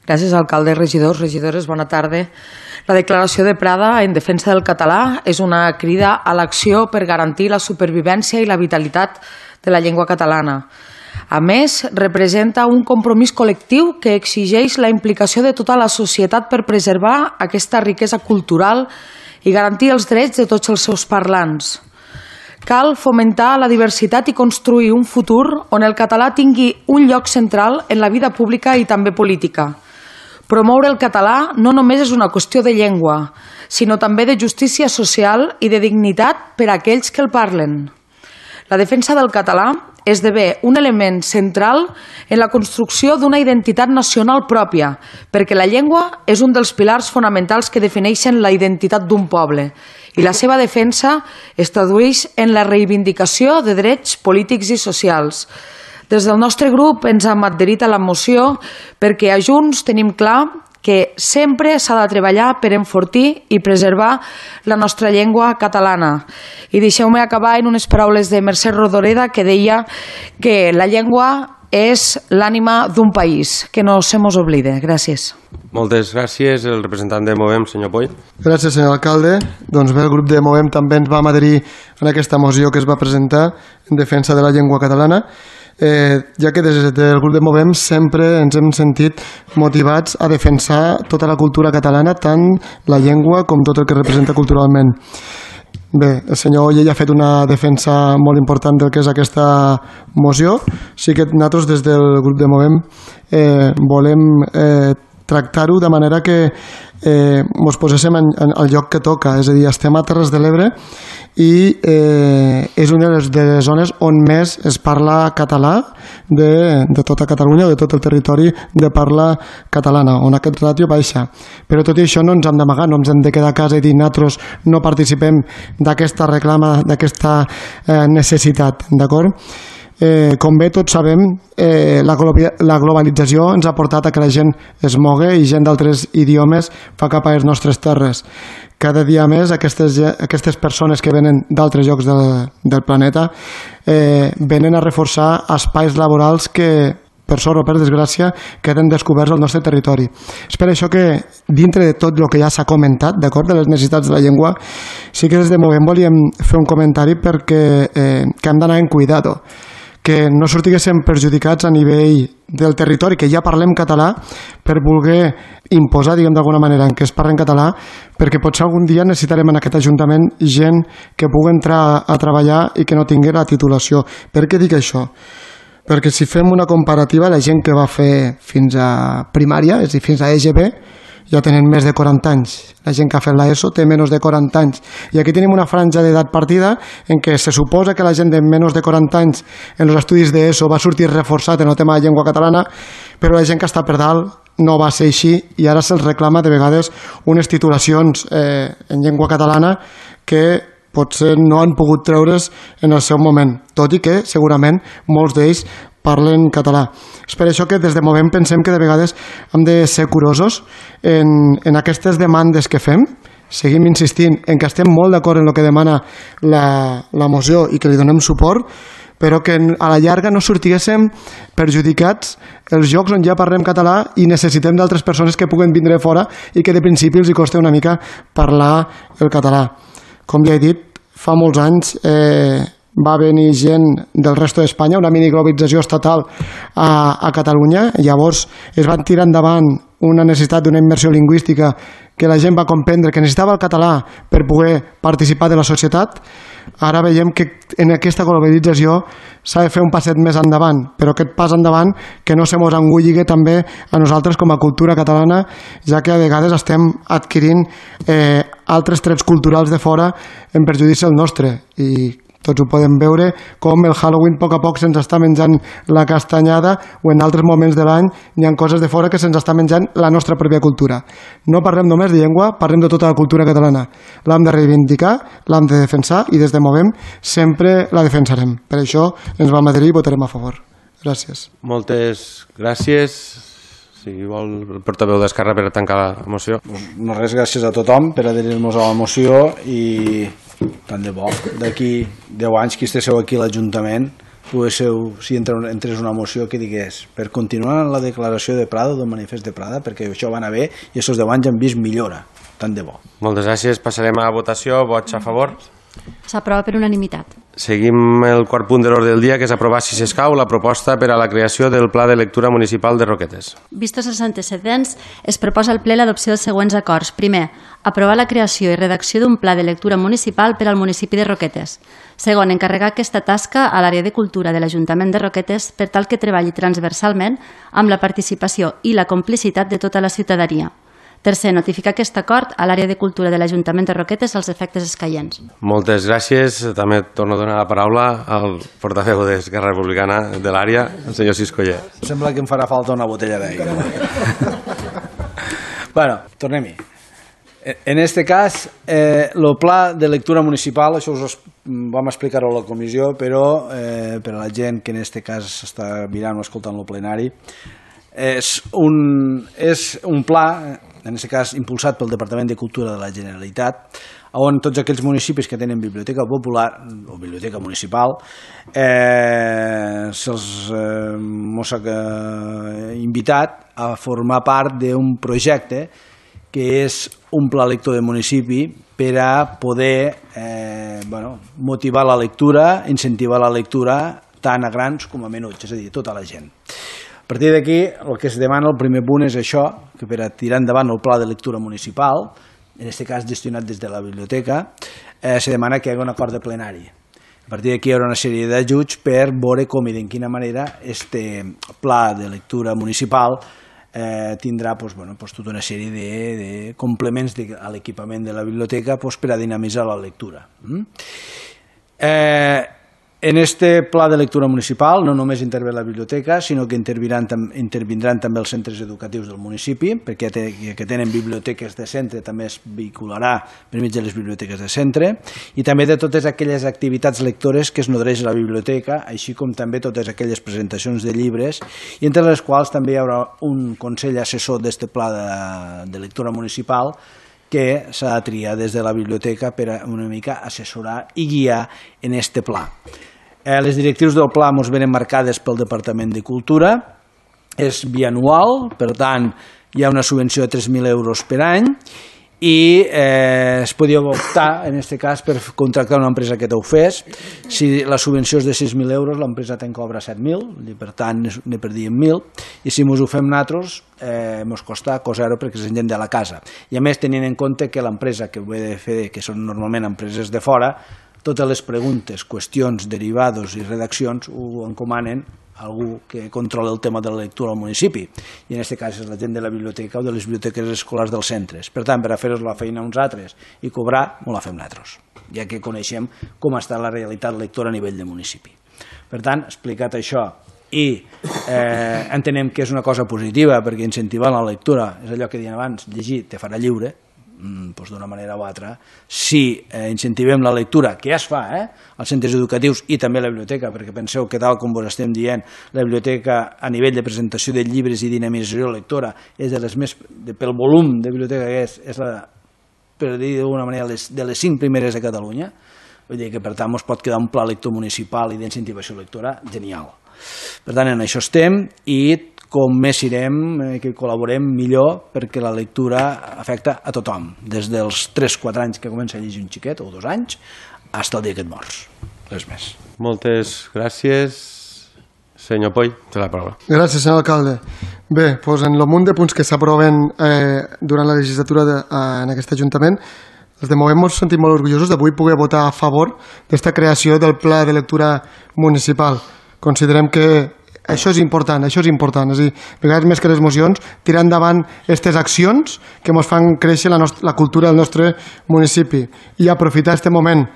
Gràcies, alcalde, regidors, regidores, bona tarda. La declaració de Prada en defensa del català és una crida a l'acció per garantir la supervivència i la vitalitat de la llengua catalana. A més, representa un compromís col·lectiu que exigeix la implicació de tota la societat per preservar aquesta riquesa cultural i garantir els drets de tots els seus parlants. Cal fomentar la diversitat i construir un futur on el català tingui un lloc central en la vida pública i també política. Promoure el català no només és una qüestió de llengua, sinó també de justícia social i de dignitat per a aquells que el parlen. La defensa del català esdevé un element central en la construcció d'una identitat nacional pròpia, perquè la llengua és un dels pilars fonamentals que defineixen la identitat d'un poble i la seva defensa es tradueix en la reivindicació de drets polítics i socials. Des del nostre grup ens hem adherit a la moció perquè a Junts tenim clar que sempre s'ha de treballar per enfortir i preservar la nostra llengua catalana. I deixeu-me acabar en unes paraules de Mercè Rodoreda, que deia que la llengua és l'ànima d'un país, que no se mos oblide. Gràcies. Moltes gràcies, el representant de Movem, senyor Poll. Gràcies, senyor alcalde. Doncs bé, el grup de Movem també ens vam adherir en aquesta moció que es va presentar en defensa de la llengua catalana. Eh, ja que des del grup de Movem sempre ens hem sentit motivats a defensar tota la cultura catalana, tant la llengua com tot el que representa culturalment. Bé, el senyor Olle ja ha fet una defensa molt important del que és aquesta moció. Sí que nosaltres des del grup de Movem eh, volem eh, tractar-ho de manera que eh, ens poséssim en, en el lloc que toca, és a dir, estem a Terres de l'Ebre i eh, és una de les, de les zones on més es parla català de, de tota Catalunya o de tot el territori de parla catalana, on aquest ràtio baixa. Però tot i això no ens hem d'amagar, no ens hem de quedar a casa i dir nosaltres no participem d'aquesta reclama, d'aquesta eh, necessitat, d'acord? Eh, com bé tots sabem, eh, la, la globalització ens ha portat a que la gent es mogui i gent d'altres idiomes fa cap a les nostres terres. Cada dia més aquestes, aquestes persones que venen d'altres llocs del, del planeta eh, venen a reforçar espais laborals que, per sort o per desgràcia, queden descoberts al nostre territori. És per això que, dintre de tot el que ja s'ha comentat, d'acord, de les necessitats de la llengua, sí que des de Movem volíem fer un comentari perquè eh, que hem d'anar en cuidado, que no sortiguéssim perjudicats a nivell del territori, que ja parlem català, per voler imposar, diguem d'alguna manera, en què es parla en català, perquè potser algun dia necessitarem en aquest Ajuntament gent que pugui entrar a treballar i que no tingui la titulació. Per què dic això? Perquè si fem una comparativa, la gent que va fer fins a primària, és a dir, fins a E G B, ja tenen més de quaranta anys. La gent que ha fet l'ESO té menys de quaranta anys. I aquí tenim una franja d'edat partida en què se suposa que la gent de menys de quaranta anys en els estudis d'ESO va sortir reforçat en el tema de llengua catalana, però la gent que està per dalt no va ser així i ara se'ls reclama de vegades unes titulacions eh, en llengua catalana que potser no han pogut treure's en el seu moment, tot i que segurament molts d'ells parlen català. És per això que des de Movem pensem que de vegades hem de ser curosos en, en aquestes demandes que fem. Seguim insistint en que estem molt d'acord en el que demana la, la moció i que li donem suport, però que a la llarga no sortiguéssim perjudicats els llocs on ja parlem català i necessitem d'altres persones que puguen vindre de fora i que de principi els hi costa una mica parlar el català. Com ja he dit, fa molts anys eh, va venir gent del resto d'Espanya, una miniglobalització estatal a, a Catalunya. Llavors es van tirar endavant una necessitat d'una immersió lingüística que la gent va comprendre que necessitava el català per poder participar de la societat. Ara veiem que en aquesta globalització s'ha de fer un passet més endavant, però aquest pas endavant que no se mos engulli també a nosaltres com a cultura catalana, ja que a vegades estem adquirint eh, altres trets culturals de fora en perjudici el nostre. I tots ho podem veure, com el Halloween a poc a poc se'ns està menjant la castanyada o en altres moments de l'any hi ha coses de fora que se'ns està menjant la nostra pròpia cultura. No parlem només de llengua, parlem de tota la cultura catalana. L'hem de reivindicar, l'hem de defensar i des de Movem sempre la defensarem. Per això ens vam adherir i votarem a favor. Gràcies. Moltes gràcies. Si vol el portaveu d'Esquerra per tancar la moció. No res, gràcies a tothom per adherir-nos a la moció i tant de bo, d'aquí deu anys que estigueu aquí a l'Ajuntament, poguéssiu, si entrés una moció que digués per continuar la declaració de Prada, del manifest de Prada, perquè això va anar bé i aquests deu anys han vist millora. Tant de bo. Moltes gràcies. Passarem a votació. Vots a favor? S'aprova per unanimitat. Seguim el quart punt de l'ordre del dia, que és aprovar, si s'escau, la proposta per a la creació del Pla de Lectura Municipal de Roquetes. Vistos els antecedents, es proposa al ple l'adopció dels següents acords. Primer, aprovar la creació i redacció d'un pla de lectura municipal per al municipi de Roquetes. Segon, encarregar aquesta tasca a l'àrea de cultura de l'Ajuntament de Roquetes per tal que treballi transversalment amb la participació i la complicitat de tota la ciutadania. Tercer, notificar aquest acord a l'àrea de cultura de l'Ajuntament de Roquetes als efectes escaients. Moltes gràcies. També torno a donar la paraula al portaveu d'Esquerra Republicana de l'àrea, el senyor Siscoller. Sembla que em farà falta una botella d'aigua. Bueno, tornem-hi. En este cas, eh, el pla de lectura municipal, això us vam explicar-ho a la comissió, però eh, per a la gent que en este cas està mirant o escoltant el plenari, és un, és un pla, en aquest cas impulsat pel Departament de Cultura de la Generalitat, on tots aquells municipis que tenen biblioteca popular o biblioteca municipal eh, se'ls eh, mos ha invitat a formar part d'un projecte que és un pla lector de municipi per a poder eh, bueno, motivar la lectura, incentivar la lectura tant a grans com a menuts, és a dir, tota la gent. A partir d'aquí, el que es demana, el primer punt és això, que per a tirar endavant el pla de lectura municipal, en aquest cas gestionat des de la biblioteca, eh, se demana que hi hagi un acord de plenari. A partir d'aquí hi haurà una sèrie d'ajuts per veure com i de quina manera este pla de lectura municipal eh, tindrà pues, bueno, pues, tota una sèrie de, de complements de, a l'equipament de la biblioteca pues, per a dinamitzar la lectura. Mm? Eh, En este pla de lectura municipal no només intervé la biblioteca, sinó que intervindran, intervindran també els centres educatius del municipi, perquè ja que tenen biblioteques de centre també es vehicularà per mig de les biblioteques de centre, i també de totes aquelles activitats lectores que es nodreix a la biblioteca, així com també totes aquelles presentacions de llibres, i entre les quals també hi haurà un consell assessor d'este pla de, de lectura municipal que s'ha de triar des de la biblioteca per a una mica assessorar i guiar en este pla. Eh, les directrius del pla ens venen marcades pel Departament de Cultura, és bianual, per tant hi ha una subvenció de tres mil euros per any i eh, es podia optar, en aquest cas, per contractar una empresa que t'ho fes. Si la subvenció és de sis mil euros, l'empresa te'n cobra set mil, per tant ne perdíem mil, i si ens ho fem nosaltres, eh, ens costa cosa zero perquè és gent de la casa. I a més, tenint en compte que l'empresa que ho he de fer, que són normalment empreses de fora, totes les preguntes, qüestions, derivados i redaccions ho encomanen a algú que controla el tema de la lectura al municipi, i en aquest cas és la gent de la biblioteca o de les biblioteques escolars dels centres. Per tant, per a fer-nos la feina uns altres i cobrar, no la fem nosaltres, ja que coneixem com està la realitat lectora a nivell de municipi. Per tant, explicat això, i eh, entenem que és una cosa positiva perquè incentivar la lectura, és allò que deien abans, llegir te farà lliure, doncs d'una manera o altra, si eh, incentivem la lectura, que ja es fa eh, als centres educatius i també a la biblioteca, perquè penseu que tal com vos estem dient, la biblioteca a nivell de presentació de llibres i dinamització lectora és de les més, de, pel volum de biblioteca que és, és la, per dir d'alguna manera, les, de les cinc primeres de Catalunya, vull dir que per tant ens pot quedar un pla lector municipal i d'incentivació lectora genial. Per tant, en això estem i com més irem, eh, que col·laborem millor perquè la lectura afecta a tothom, des dels tres quatre anys que comença a llegir un xiquet, o dos anys, fins al dia que et mors. Res més. Moltes gràcies. Senyor Poy, té la paraula. Gràcies, senyor alcalde. Bé, doncs en el munt de punts que s'aproven eh, durant la legislatura de, eh, en aquest Ajuntament, els de Movem ens sentim molt orgullosos d'avui poder votar a favor d'esta creació del Pla de Lectura Municipal. Considerem que això és important, això és important, és a dir, a vegades més que les mocions, tirar endavant aquestes accions que ens fan créixer la, nostra, la cultura del nostre municipi i aprofitar aquest moment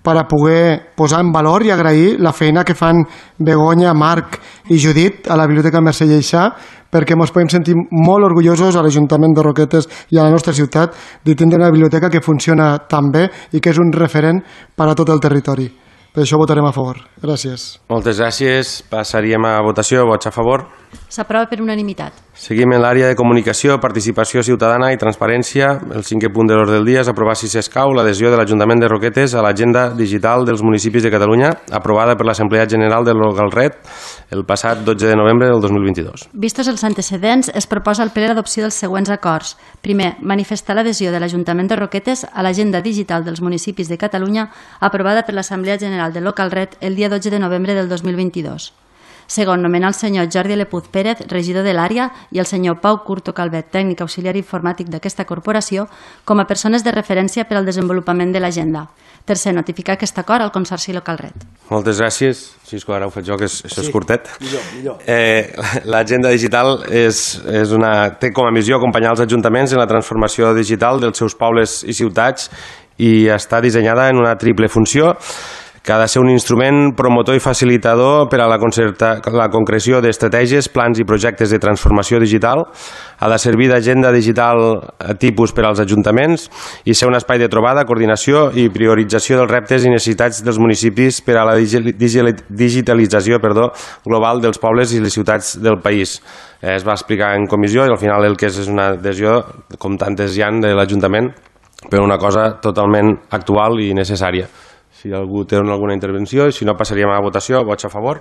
per a poder posar en valor i agrair la feina que fan Begoña, Marc i Judit a la Biblioteca Mercè Lleixà, perquè ens podem sentir molt orgullosos a l'Ajuntament de Roquetes i a la nostra ciutat de tindre una biblioteca que funciona tan bé i que és un referent per a tot el territori. Per això votarem a favor. Gràcies. Moltes gràcies. Passaríem a votació. Vots a favor? S'aprova per unanimitat. Seguim en l'àrea de comunicació, participació ciutadana i transparència. El cinquè punt de l'ordre del dia és aprovar, si s'escau, l'adhesió de l'Ajuntament de Roquetes a l'agenda digital dels municipis de Catalunya, aprovada per l'Assemblea General de l'Ogalret el passat dotze de novembre del dos mil vint-i-dos. Vistos els antecedents, es proposa al ple l'adopció dels següents acords. Primer, manifestar l'adhesió de l'Ajuntament de Roquetes a l'agenda digital dels municipis de Catalunya, aprovada per l'Assemblea General de l'Ogalret el dia dotze de novembre del dos mil vint-i-dos. Segon, nomenar el senyor Jordi Lepuz Pérez, regidor de l'àrea, i el senyor Pau Curto Calvet, tècnic auxiliar informàtic d'aquesta corporació, com a persones de referència per al desenvolupament de l'agenda. Tercer, notificar aquest acord al Consorci Localret. Moltes gràcies. Si és que ara ho faig jo, que és, això és Sí, curtet. millor, millor. Eh, L'agenda digital és, és una, té com a missió acompanyar els ajuntaments en la transformació digital dels seus pobles i ciutats i està dissenyada en una triple funció, que ha de ser un instrument promotor i facilitador per a la, concerta, la concreció d'estratègies, plans i projectes de transformació digital, ha de servir d'agenda digital tipus per als ajuntaments i ser un espai de trobada, coordinació i priorització dels reptes i necessitats dels municipis per a la digitalització perdó, global dels pobles i les ciutats del país. Eh, es va explicar en comissió i al final el que és és una adhesió, com tantes hi ha de l'Ajuntament, per una cosa totalment actual i necessària. Si algú té alguna intervenció, i si no passaríem a la votació, vots a favor.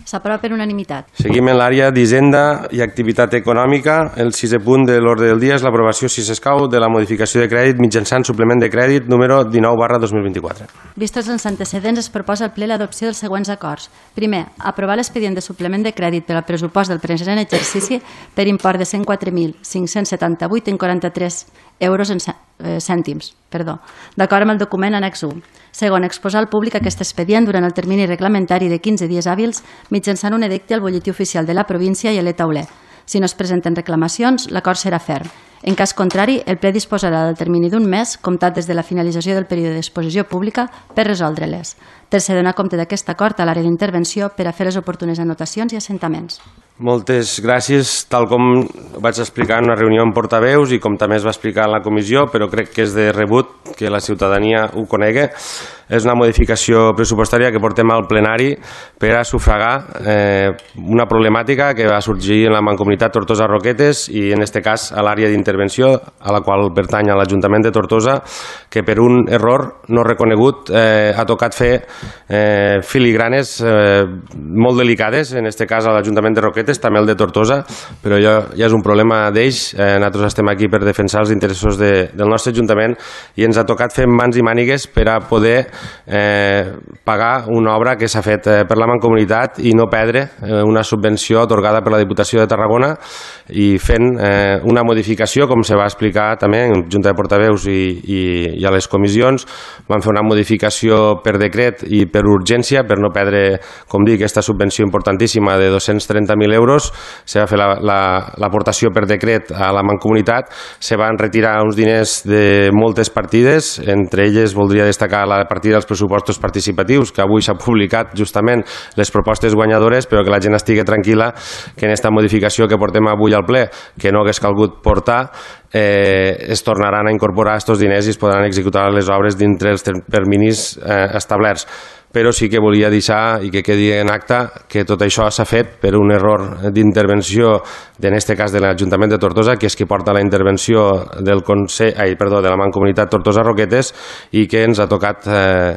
S'aprova per unanimitat. Seguim en l'àrea d'Hisenda i Activitat Econòmica. El sisè punt de l'ordre del dia és l'aprovació, si s'escau, de la modificació de crèdit mitjançant suplement de crèdit número dinou barra dos mil vint-i-quatre. Vistos els antecedents, es proposa al ple l'adopció dels següents acords. Primer, aprovar l'expedient de suplement de crèdit per al pressupost del present exercici per import de cent quatre mil cinc-cents setanta-vuit coma quaranta-tres euros en cèntims, perdó, d'acord amb el document annex u. Segon, exposar al públic aquest expedient durant el termini reglamentari de quinze dies hàbils mitjançant un edicte al butlletí oficial de la província i a l'e-tauler. Si no es presenten reclamacions, l'acord serà ferm. En cas contrari, el ple disposarà del termini d'un mes, comptat des de la finalització del període d'exposició pública, per resoldre-les. Tercer, donar compte d'aquest acord a l'àrea d'intervenció per a fer les oportunes anotacions i assentaments. Moltes gràcies. Tal com vaig explicar en una reunió amb portaveus i com també es va explicar en la comissió, però crec que és de rebut que la ciutadania ho conegui, és una modificació pressupostària que portem al plenari per a sufragar eh, una problemàtica que va sorgir en la Mancomunitat Tortosa-Roquetes i en aquest cas a l'àrea d'intervenció a la qual pertany a l'Ajuntament de Tortosa, que per un error no reconegut eh, ha tocat fer eh, filigranes eh, molt delicades, en aquest cas a l'Ajuntament de Roquetes, també el de Tortosa, però ja, ja és un problema d'ells. Eh, nosaltres estem aquí per defensar els interessos de, del nostre Ajuntament i ens ha tocat fer mans i mànigues per a poder eh, pagar una obra que s'ha fet eh, per la Mancomunitat i no perdre eh, una subvenció atorgada per la Diputació de Tarragona i fent eh, una modificació, com se va explicar també en Junta de Portaveus i, i, i a les comissions, van fer una modificació per decret i per urgència per no perdre, com dic, aquesta subvenció importantíssima de dos-cents trenta mil euros. Se va fer l'aportació la, la, per decret a la Mancomunitat, se van retirar uns diners de moltes partides, entre elles voldria destacar la partida dels pressupostos participatius, que avui s'ha publicat justament les propostes guanyadores, però que la gent estigui tranquil·la que en aquesta modificació que portem avui al ple, que no hagués calgut portar, eh, es tornaran a incorporar aquests diners i es podran executar les obres dintre els terminis eh, establerts. Però sí que volia deixar i que quedi en acta que tot això s'ha fet per un error d'intervenció, en aquest cas de l'Ajuntament de Tortosa, que és qui porta la intervenció del Consell, ai, perdó, de la Mancomunitat Tortosa-Roquetes i que ens ha tocat eh,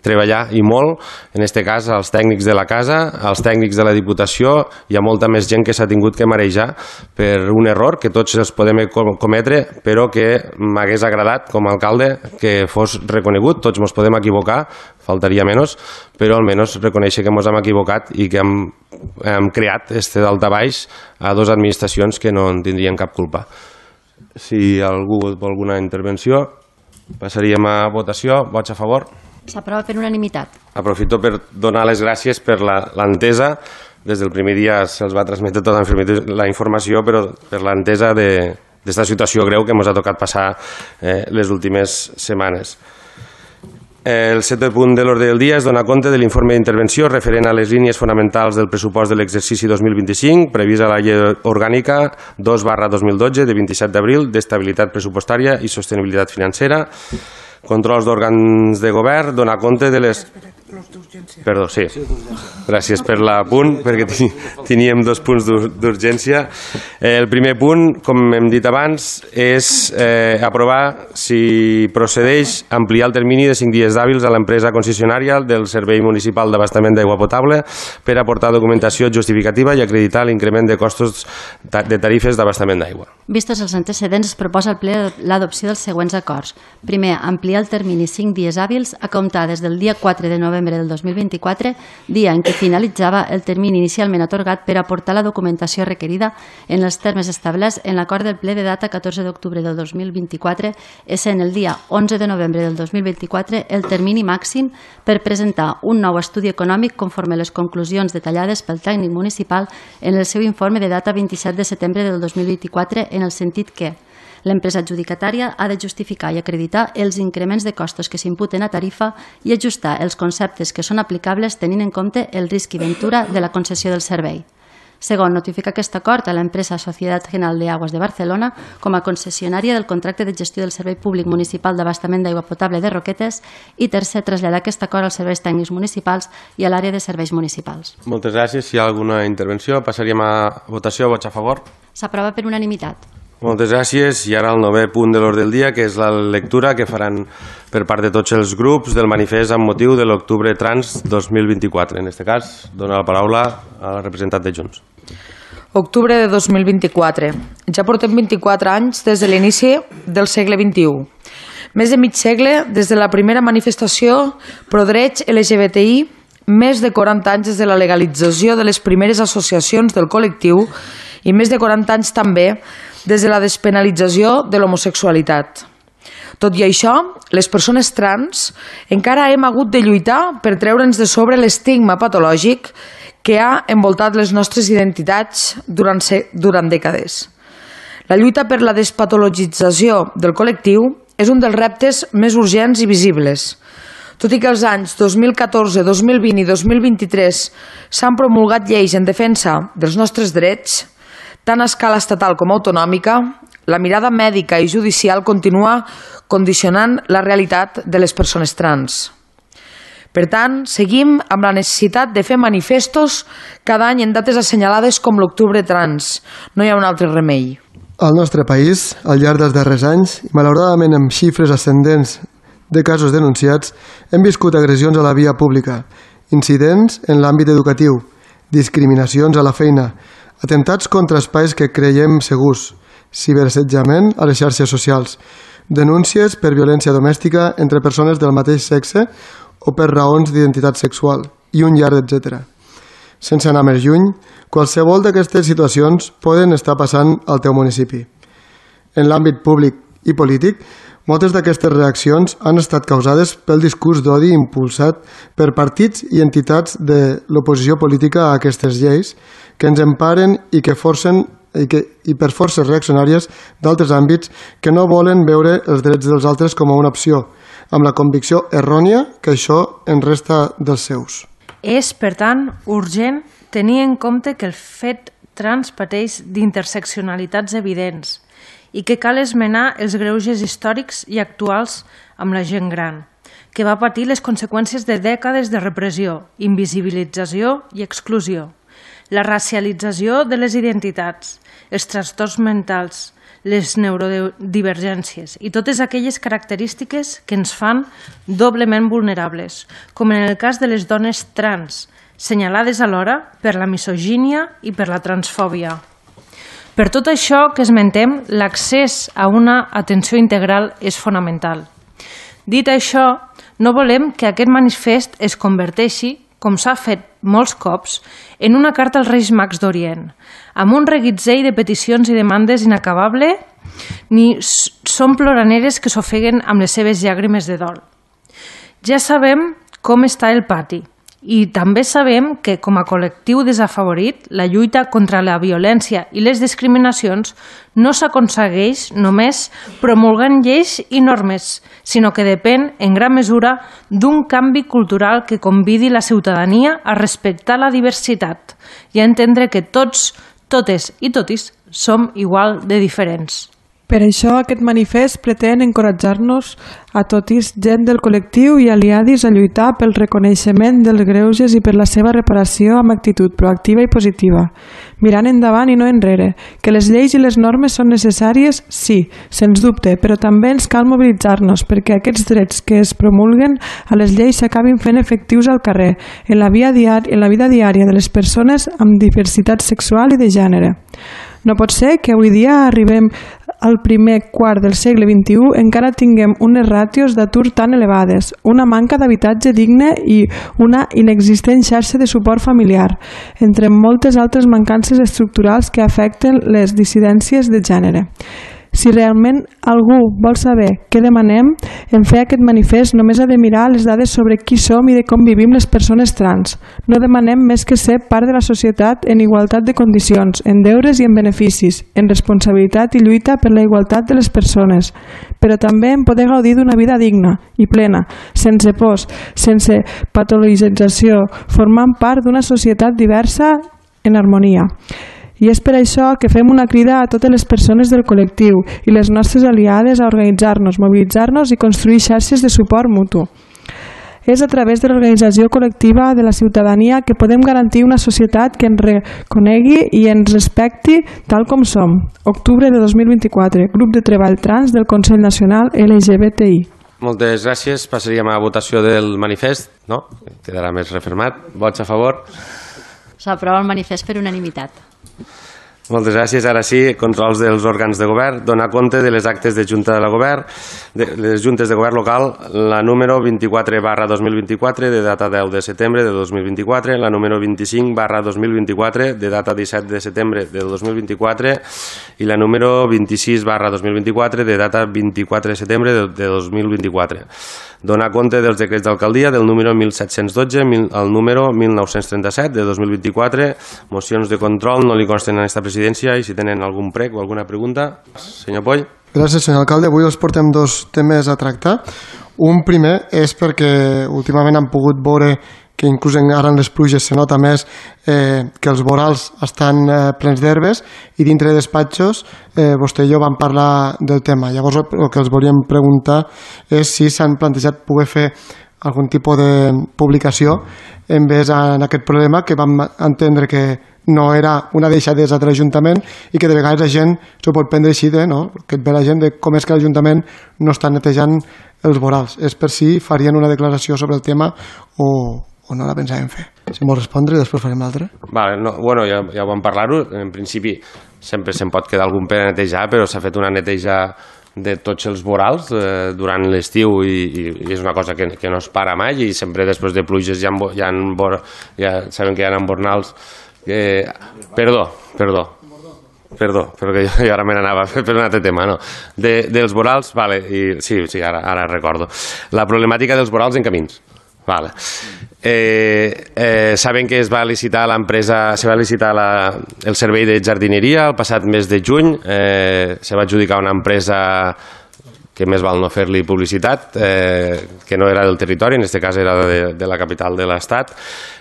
treballar i molt, en aquest cas als tècnics de la casa, als tècnics de la Diputació, hi ha molta més gent que s'ha tingut que marejar per un error que tots els podem cometre, però que m'hagués agradat com a alcalde que fos reconegut. Tots ens podem equivocar, faltaria menys, però almenys reconèixer que ens hem equivocat i que hem, hem creat este daltabaix a dues administracions que no en tindrien cap culpa. Si algú vol alguna intervenció, passaríem a votació. Vots a favor? S'aprova per unanimitat. Aprofito per donar les gràcies per l'entesa. Des del primer dia se'ls va transmetre tota la informació, però per l'entesa d'esta situació greu que ens ha tocat passar eh, les últimes setmanes. El setè punt de l'ordre del dia és donar compte de l'informe d'intervenció referent a les línies fonamentals del pressupost de l'exercici dos mil vint-i-cinc, previst a la llei orgànica dos barra dos mil dotze de vint-i-set d'abril d'estabilitat pressupostària i sostenibilitat financera. Controls d'òrgans de govern, donar compte de les... Perdó, sí. Gràcies per l'apunt, perquè teníem dos punts d'urgència. El primer punt, com hem dit abans, és eh, aprovar si procedeix ampliar el termini de cinc dies d'hàbils a l'empresa concessionària del Servei Municipal d'Abastament d'Aigua Potable per aportar documentació justificativa i acreditar l'increment de costos de tarifes d'abastament d'aigua. Vistos els antecedents, es proposa al ple l'adopció dels següents acords. Primer, ampliar el termini cinc dies hàbils a comptar des del dia quatre de novembre del dos mil vint-i-quatre, dia en què finalitzava el termini inicialment atorgat per aportar la documentació requerida en els termes establerts en l'acord del ple de data catorze d'octubre del dos mil vint-i-quatre, essent el dia onze de novembre del dos mil vint-i-quatre el termini màxim per presentar un nou estudi econòmic conforme a les conclusions detallades pel tècnic municipal en el seu informe de data vint-i-set de setembre del dos mil vint-i-quatre, en el sentit que l'empresa adjudicatària ha de justificar i acreditar els increments de costos que s'imputen a tarifa i ajustar els conceptes que són aplicables tenint en compte el risc i ventura de la concessió del servei. Segon, notificar aquest acord a l'empresa Societat General de Aguas de Barcelona com a concessionària del contracte de gestió del Servei Públic Municipal d'Abastament d'Aigua Potable de Roquetes i tercer, traslladar aquest acord als serveis tècnics municipals i a l'àrea de serveis municipals. Moltes gràcies. Si hi ha alguna intervenció, passaríem a votació. Vots a favor? S'aprova per unanimitat. Moltes gràcies. I ara el novè punt de l'ordre del dia, que és la lectura que faran per part de tots els grups del manifest amb motiu de l'Octubre Trans dos mil vint-i-quatre. En aquest cas, dona la paraula al representant de Junts. Octubre de dos mil vint-i-quatre. Ja portem vint-i-quatre anys des de l'inici del segle vint-i-u. Més de mig segle des de la primera manifestació pro drets L G B T I, més de quaranta anys des de la legalització de les primeres associacions del col·lectiu i més de quaranta anys també des de la despenalització de l'homosexualitat. Tot i això, les persones trans encara hem hagut de lluitar per treure'ns de sobre l'estigma patològic que ha envoltat les nostres identitats durant, durant dècades. La lluita per la despatologització del col·lectiu és un dels reptes més urgents i visibles. Tot i que els anys dos mil catorze, dos mil vint i dos mil vint-i-tres s'han promulgat lleis en defensa dels nostres drets, tant a escala estatal com autonòmica, la mirada mèdica i judicial continua condicionant la realitat de les persones trans. Per tant, seguim amb la necessitat de fer manifestos cada any en dates assenyalades com l'Octubre Trans. No hi ha un altre remei. Al nostre país, al llarg dels darrers anys, i malauradament amb xifres ascendents de casos denunciats, hem viscut agressions a la via pública, incidents en l'àmbit educatiu, discriminacions a la feina, atemptats contra espais que creiem segurs, ciberassetjament a les xarxes socials, denúncies per violència domèstica entre persones del mateix sexe o per raons d'identitat sexual, i un llarg etcètera. Sense anar més lluny, qualsevol d'aquestes situacions poden estar passant al teu municipi. En l'àmbit públic i polític, moltes d'aquestes reaccions han estat causades pel discurs d'odi impulsat per partits i entitats de l'oposició política a aquestes lleis que ens emparen i que forcen i, que, i per forces reaccionàries d'altres àmbits que no volen veure els drets dels altres com a una opció, amb la convicció errònia que això en resta dels seus. És, per tant, urgent tenir en compte que el fet trans pateix d'interseccionalitats evidents i que cal esmenar els greuges històrics i actuals amb la gent gran, que va patir les conseqüències de dècades de repressió, invisibilització i exclusió, la racialització de les identitats, els trastorns mentals, les neurodivergències i totes aquelles característiques que ens fan doblement vulnerables, com en el cas de les dones trans, senyalades alhora per la misogínia i per la transfòbia. Per tot això que esmentem, l'accés a una atenció integral és fonamental. Dit això, no volem que aquest manifest es converteixi, com s'ha fet molts cops, en una carta als Reis Mags d'Orient, amb un reguitzell de peticions i demandes inacabable, ni són ploraneres que s'ofeguen amb les seves llàgrimes de dol. Ja sabem com està el pati, i també sabem que, com a col·lectiu desafavorit, la lluita contra la violència i les discriminacions no s'aconsegueix només promulgant lleis i normes, sinó que depèn, en gran mesura, d'un canvi cultural que convidi la ciutadania a respectar la diversitat i a entendre que tots, totes i totis som igual de diferents. Per això aquest manifest pretén encoratjar-nos a totis gent del col·lectiu i aliadis a lluitar pel reconeixement dels greuges i per la seva reparació amb actitud proactiva i positiva, mirant endavant i no enrere, que les lleis i les normes són necessàries, sí, sens dubte, però també ens cal mobilitzar-nos perquè aquests drets que es promulguen a les lleis s'acabin fent efectius al carrer, en la, via diària, en la vida diària de les persones amb diversitat sexual i de gènere. No pot ser que avui dia arribem al primer quart del segle vint-i-u encara tinguem unes ràtios d'atur tan elevades, una manca d'habitatge digne i una inexistent xarxa de suport familiar, entre moltes altres mancances estructurals que afecten les dissidències de gènere. Si realment algú vol saber què demanem, en fer aquest manifest només ha de mirar les dades sobre qui som i de com vivim les persones trans. No demanem més que ser part de la societat en igualtat de condicions, en deures i en beneficis, en responsabilitat i lluita per la igualtat de les persones, però també en poder gaudir d'una vida digna i plena, sense pors, sense patologització, formant part d'una societat diversa en harmonia. I és per això que fem una crida a totes les persones del col·lectiu i les nostres aliades a organitzar-nos, mobilitzar-nos i construir xarxes de suport mutu. És a través de l'organització col·lectiva de la ciutadania que podem garantir una societat que ens reconegui i ens respecti tal com som. Octubre de dos mil vint-i-quatre, Grup de Treball Trans del Consell Nacional L G B T I. Moltes gràcies. Passaríem a votació del manifest. No? Quedarà més refermat. Vots a favor? S'aprova el manifest per unanimitat. Moltes gràcies. Ara sí, controls dels òrgans de govern. Donar compte de les actes de Junta de Govern, de les juntes de govern local, la número vint-i-quatre barra dos mil vint-i-quatre, de data deu de setembre de dos mil vint-i-quatre, la número vint-i-cinc barra dos mil vint-i-quatre, de data disset de setembre de dos mil vint-i-quatre, i la número vint-i-sis barra dos mil vint-i-quatre, de data vint-i-quatre de setembre de dos mil vint-i-quatre. Donar compte dels decrets d'alcaldia del número mil set-cents dotze al número mil nou-cents trenta-set de dos mil vint-i-quatre. Mocions de control no li consten a aquesta presidència i si tenen algun prec o alguna pregunta. Senyor Poll. Gràcies, senyor alcalde. Avui els portem dos temes a tractar. Un primer és perquè últimament han pogut veure que inclús ara en les pluges se nota més eh, que els vorals estan eh, plens d'herbes i dintre de despatxos eh, vostè i jo vam parlar del tema. Llavors el que els volíem preguntar és si s'han plantejat poder fer algun tipus de publicació en vez en aquest problema que vam entendre que no era una deixadesa de l'Ajuntament i que de vegades la gent s'ho pot prendre així de, no? Que et ve la gent de com és que l'Ajuntament no està netejant els vorals. És per si farien una declaració sobre el tema o, o no la pensàvem fer. Si m'ho respondre i després farem l'altre. Vale, no, bueno, ja, ja vam parlar-ho. En principi sempre se'n pot quedar algun per a netejar, però s'ha fet una neteja de tots els vorals eh, durant l'estiu i, i, i és una cosa que, que no es para mai i sempre després de pluges hi ha, hi ha, ja sabem que hi ha embornals. Eh, perdó, perdó. Perdó, perquè jo, jo ara me n'anava per un altre tema, no? De, dels vorals, vale, i, sí, sí, ara, ara recordo. La problemàtica dels vorals en camins. Vale. Eh, eh, saben que es va licitar l'empresa, se va licitar la, el servei de jardineria el passat mes de juny, eh, se va adjudicar una empresa que més val no fer-li publicitat, eh, que no era del territori, en aquest cas era de, de la capital de l'Estat,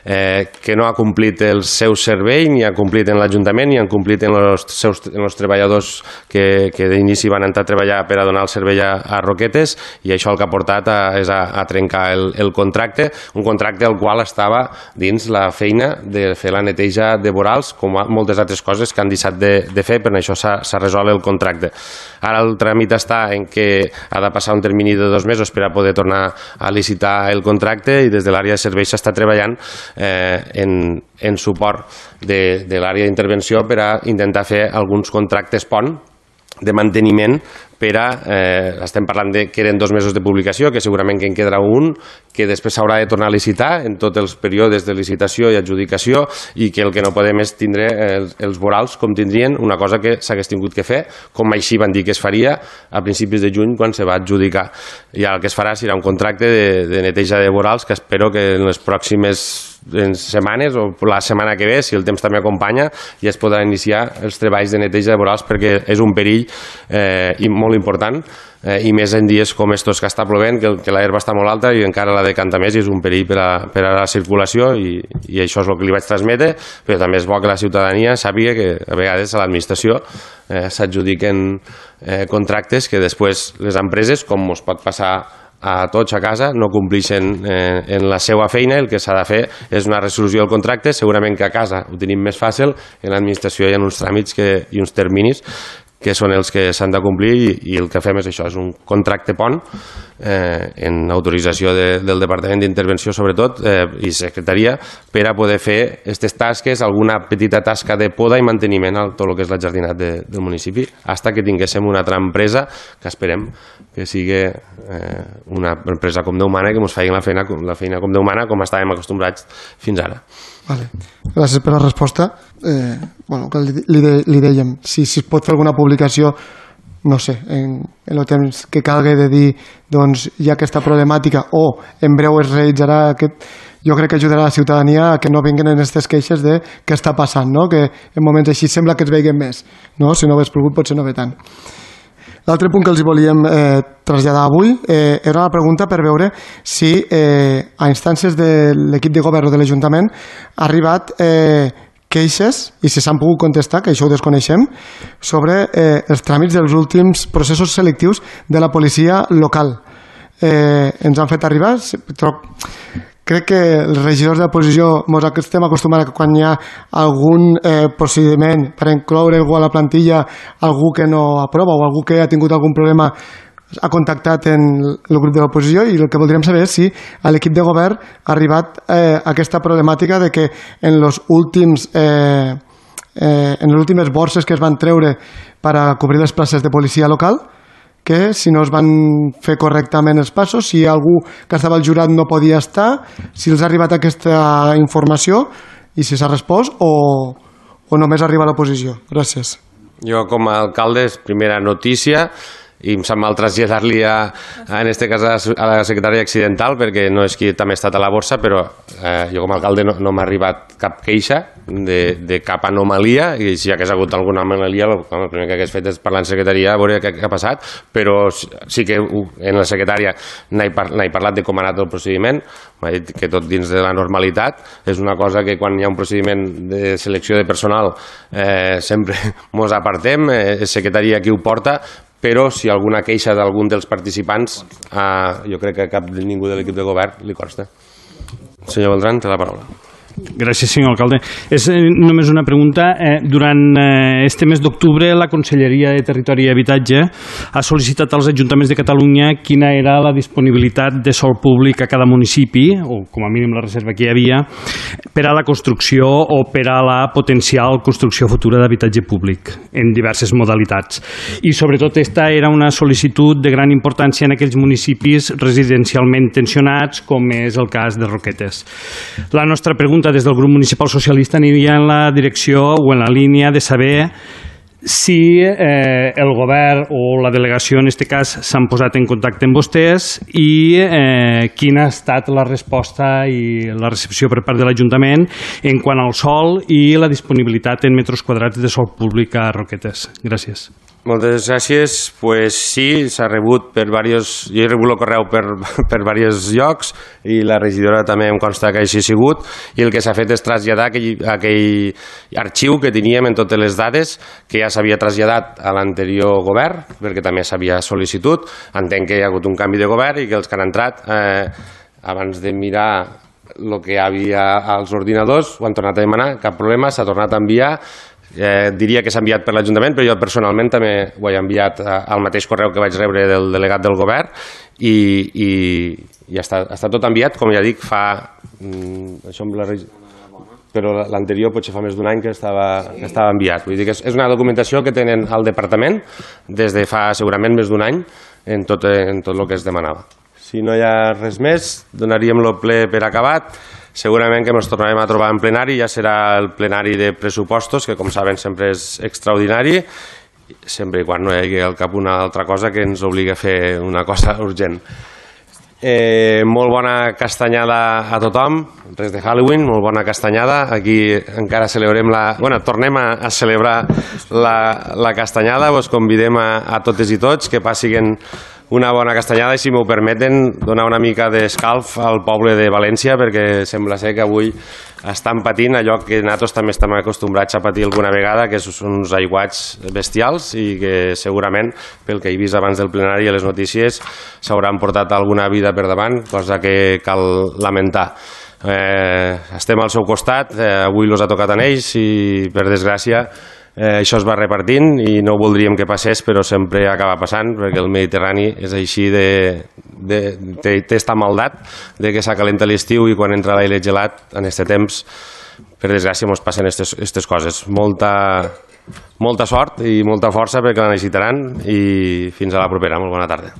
eh, que no ha complit el seu servei, ni ha complit en l'Ajuntament, ni han complit en els seus en els treballadors que, que d'inici van entrar a treballar per a donar el servei a, a Roquetes, i això el que ha portat a, és a, a trencar el, el contracte, un contracte al qual estava dins la feina de fer la neteja de vorals, com moltes altres coses que han deixat de, de fer, per això s'ha resolt el contracte. Ara el tràmit està en què ha de passar un termini de dos mesos per a poder tornar a licitar el contracte i des de l'àrea de serveis s'està treballant eh, en, en suport de, de l'àrea d'intervenció per a intentar fer alguns contractes pont de manteniment per a, eh, estem parlant de que eren dos mesos de publicació, que segurament que en quedarà un, que després s'haurà de tornar a licitar en tots els períodes de licitació i adjudicació i que el que no podem és tindre els, els vorals com tindrien, una cosa que s'hagués tingut que fer, com així van dir que es faria a principis de juny quan se va adjudicar. I el que es farà serà un contracte de, de neteja de vorals que espero que en les pròximes en setmanes o la setmana que ve, si el temps també acompanya, ja es podran iniciar els treballs de neteja de vorals perquè és un perill eh, i molt molt important, eh, i més en dies com estos que està plovent, que, que l'herba està molt alta i encara la decanta més i és un perill per a, per a la circulació i, i això és el que li vaig transmetre, però també és bo que la ciutadania sàpiga que a vegades a l'administració eh, s'adjudiquen eh, contractes que després les empreses, com us pot passar a tots a casa, no complixen eh, en la seva feina. El que s'ha de fer és una resolució del contracte. Segurament que a casa ho tenim més fàcil, en l'administració hi ha uns tràmits que, i uns terminis que són els que s'han de complir i, i el que fem és això, és un contracte pont eh, en autorització de, del Departament d'Intervenció sobretot eh, i Secretaria per a poder fer aquestes tasques, alguna petita tasca de poda i manteniment a tot el que és la jardinat de, del municipi, fins que tinguéssim una altra empresa que esperem que sigui eh, una empresa com Déu mana, que ens faci la feina, la feina com Déu mana, com estàvem acostumbrats fins ara. Vale. Gràcies per la resposta. Eh, bueno, que li, li, de, li dèiem, si, si es pot fer alguna publicació, no sé, en, en el temps que calgui de dir doncs hi ha aquesta problemàtica o en breu es realitzarà aquest, jo crec que ajudarà a la ciutadania a que no vinguin en aquestes queixes de què està passant, no? Que en moments així sembla que es veiguen més, no? Si no hagués plogut potser no ve tant. L'altre punt que els volíem eh, traslladar avui eh, era una pregunta per veure si eh, a instàncies de l'equip de govern o de l'Ajuntament ha arribat eh, queixes, i si s'han pogut contestar, que això ho desconeixem, sobre eh, els tràmits dels últims processos selectius de la policia local. Eh, ens han fet arribar... Crec que els regidors de l'oposició ens estem acostumats a que quan hi ha algun eh, procediment per incloure algú a la plantilla, algú que no aprova o algú que ha tingut algun problema ha contactat en el grup de l'oposició, i el que voldríem saber és si a l'equip de govern ha arribat eh, aquesta problemàtica de que en els últims eh, eh, en les últimes borses que es van treure per a cobrir les places de policia local, que si no es van fer correctament els passos, si algú que estava al jurat no podia estar, si els ha arribat aquesta informació i si s'ha respost o, o només arriba a l'oposició. Gràcies. Jo com a alcalde és primera notícia i em sap mal traslladar-li a, en este cas a la secretària accidental, perquè no és qui també ha estat a la borsa, però eh, jo com a alcalde no, no m'ha arribat cap queixa de, de cap anomalia, i si hi hagués hagut alguna anomalia el, el primer que hagués fet és parlar en secretaria a veure què, què ha passat, però sí que en la secretària n'he par, parlat de com ha anat el procediment, m'ha dit que tot dins de la normalitat. És una cosa que quan hi ha un procediment de selecció de personal eh, sempre mos apartem, eh, és secretaria qui ho porta, però si alguna queixa d'algun dels participants, eh, jo crec que cap de ningú de l'equip de govern li consta. Senyor Beltrán, té la paraula. Gràcies, senyor alcalde. És eh, només una pregunta. Eh, durant eh, este mes d'octubre, la Conselleria de Territori i Habitatge ha sol·licitat als ajuntaments de Catalunya quina era la disponibilitat de sòl públic a cada municipi, o com a mínim la reserva que hi havia, per a la construcció o per a la potencial construcció futura d'habitatge públic en diverses modalitats. I sobretot esta era una sol·licitud de gran importància en aquells municipis residencialment tensionats, com és el cas de Roquetes. La nostra pregunta des del grup municipal socialista aniria en la direcció o en la línia de saber si eh, el govern o la delegació en aquest cas s'han posat en contacte amb vostès i eh, quina ha estat la resposta i la recepció per part de l'Ajuntament en quant al sòl i la disponibilitat en metres quadrats de sòl públic a Roquetes. Gràcies. Moltes gràcies. Pues sí, s'ha rebut per diversos... Jo he rebut el correu per, per diversos llocs i la regidora també em consta que així ha sigut, i el que s'ha fet és traslladar aquell, aquell arxiu que teníem en totes les dades que ja s'havia traslladat a l'anterior govern, perquè també s'havia sol·licitud. Entenc que hi ha hagut un canvi de govern i que els que han entrat, eh, abans de mirar el que hi havia als ordinadors, ho han tornat a demanar, cap problema, s'ha tornat a enviar. Eh, diria que s'ha enviat per l'Ajuntament, però jo personalment també ho he enviat al mateix correu que vaig rebre del delegat del govern i, i, i està, està tot enviat, com ja dic, fa... Mm, això amb la reg... però l'anterior potser fa més d'un any que estava, que estava enviat. Vull dir que és, és una documentació que tenen al departament des de fa segurament més d'un any en tot, en tot el que es demanava. Si no hi ha res més, donaríem el ple per acabat. Segurament que ens tornarem a trobar en plenari, ja serà el plenari de pressupostos, que com saben sempre és extraordinari, sempre i quan no hi hagi al cap una altra cosa que ens obligui a fer una cosa urgent. Eh, molt bona castanyada a tothom, res de Halloween, molt bona castanyada. Aquí encara celebrem la... Bueno, tornem a, a celebrar la, la castanyada. Vos convidem a, a totes i tots que passin una bona castanyada i, si m'ho permeten, donar una mica d'escalf al poble de València, perquè sembla ser que avui estan patint allò que nosaltres també estem acostumbrats a patir alguna vegada, que són uns aiguats bestials i que segurament, pel que he vist abans del plenari i a les notícies, s'hauran portat alguna vida per davant, cosa que cal lamentar. Eh, estem al seu costat, eh, avui els ha tocat a ells i, per desgràcia, Eh, això es va repartint i no voldríem que passés, però sempre acaba passant, perquè el Mediterrani és així de, de, té, té esta maldat de que s'acalenta l'estiu i quan entra l'aire gelat en aquest temps, per desgràcia, ens passen aquestes coses. Molta, molta sort i molta força perquè la necessitaran, i fins a la propera. Molt bona tarda.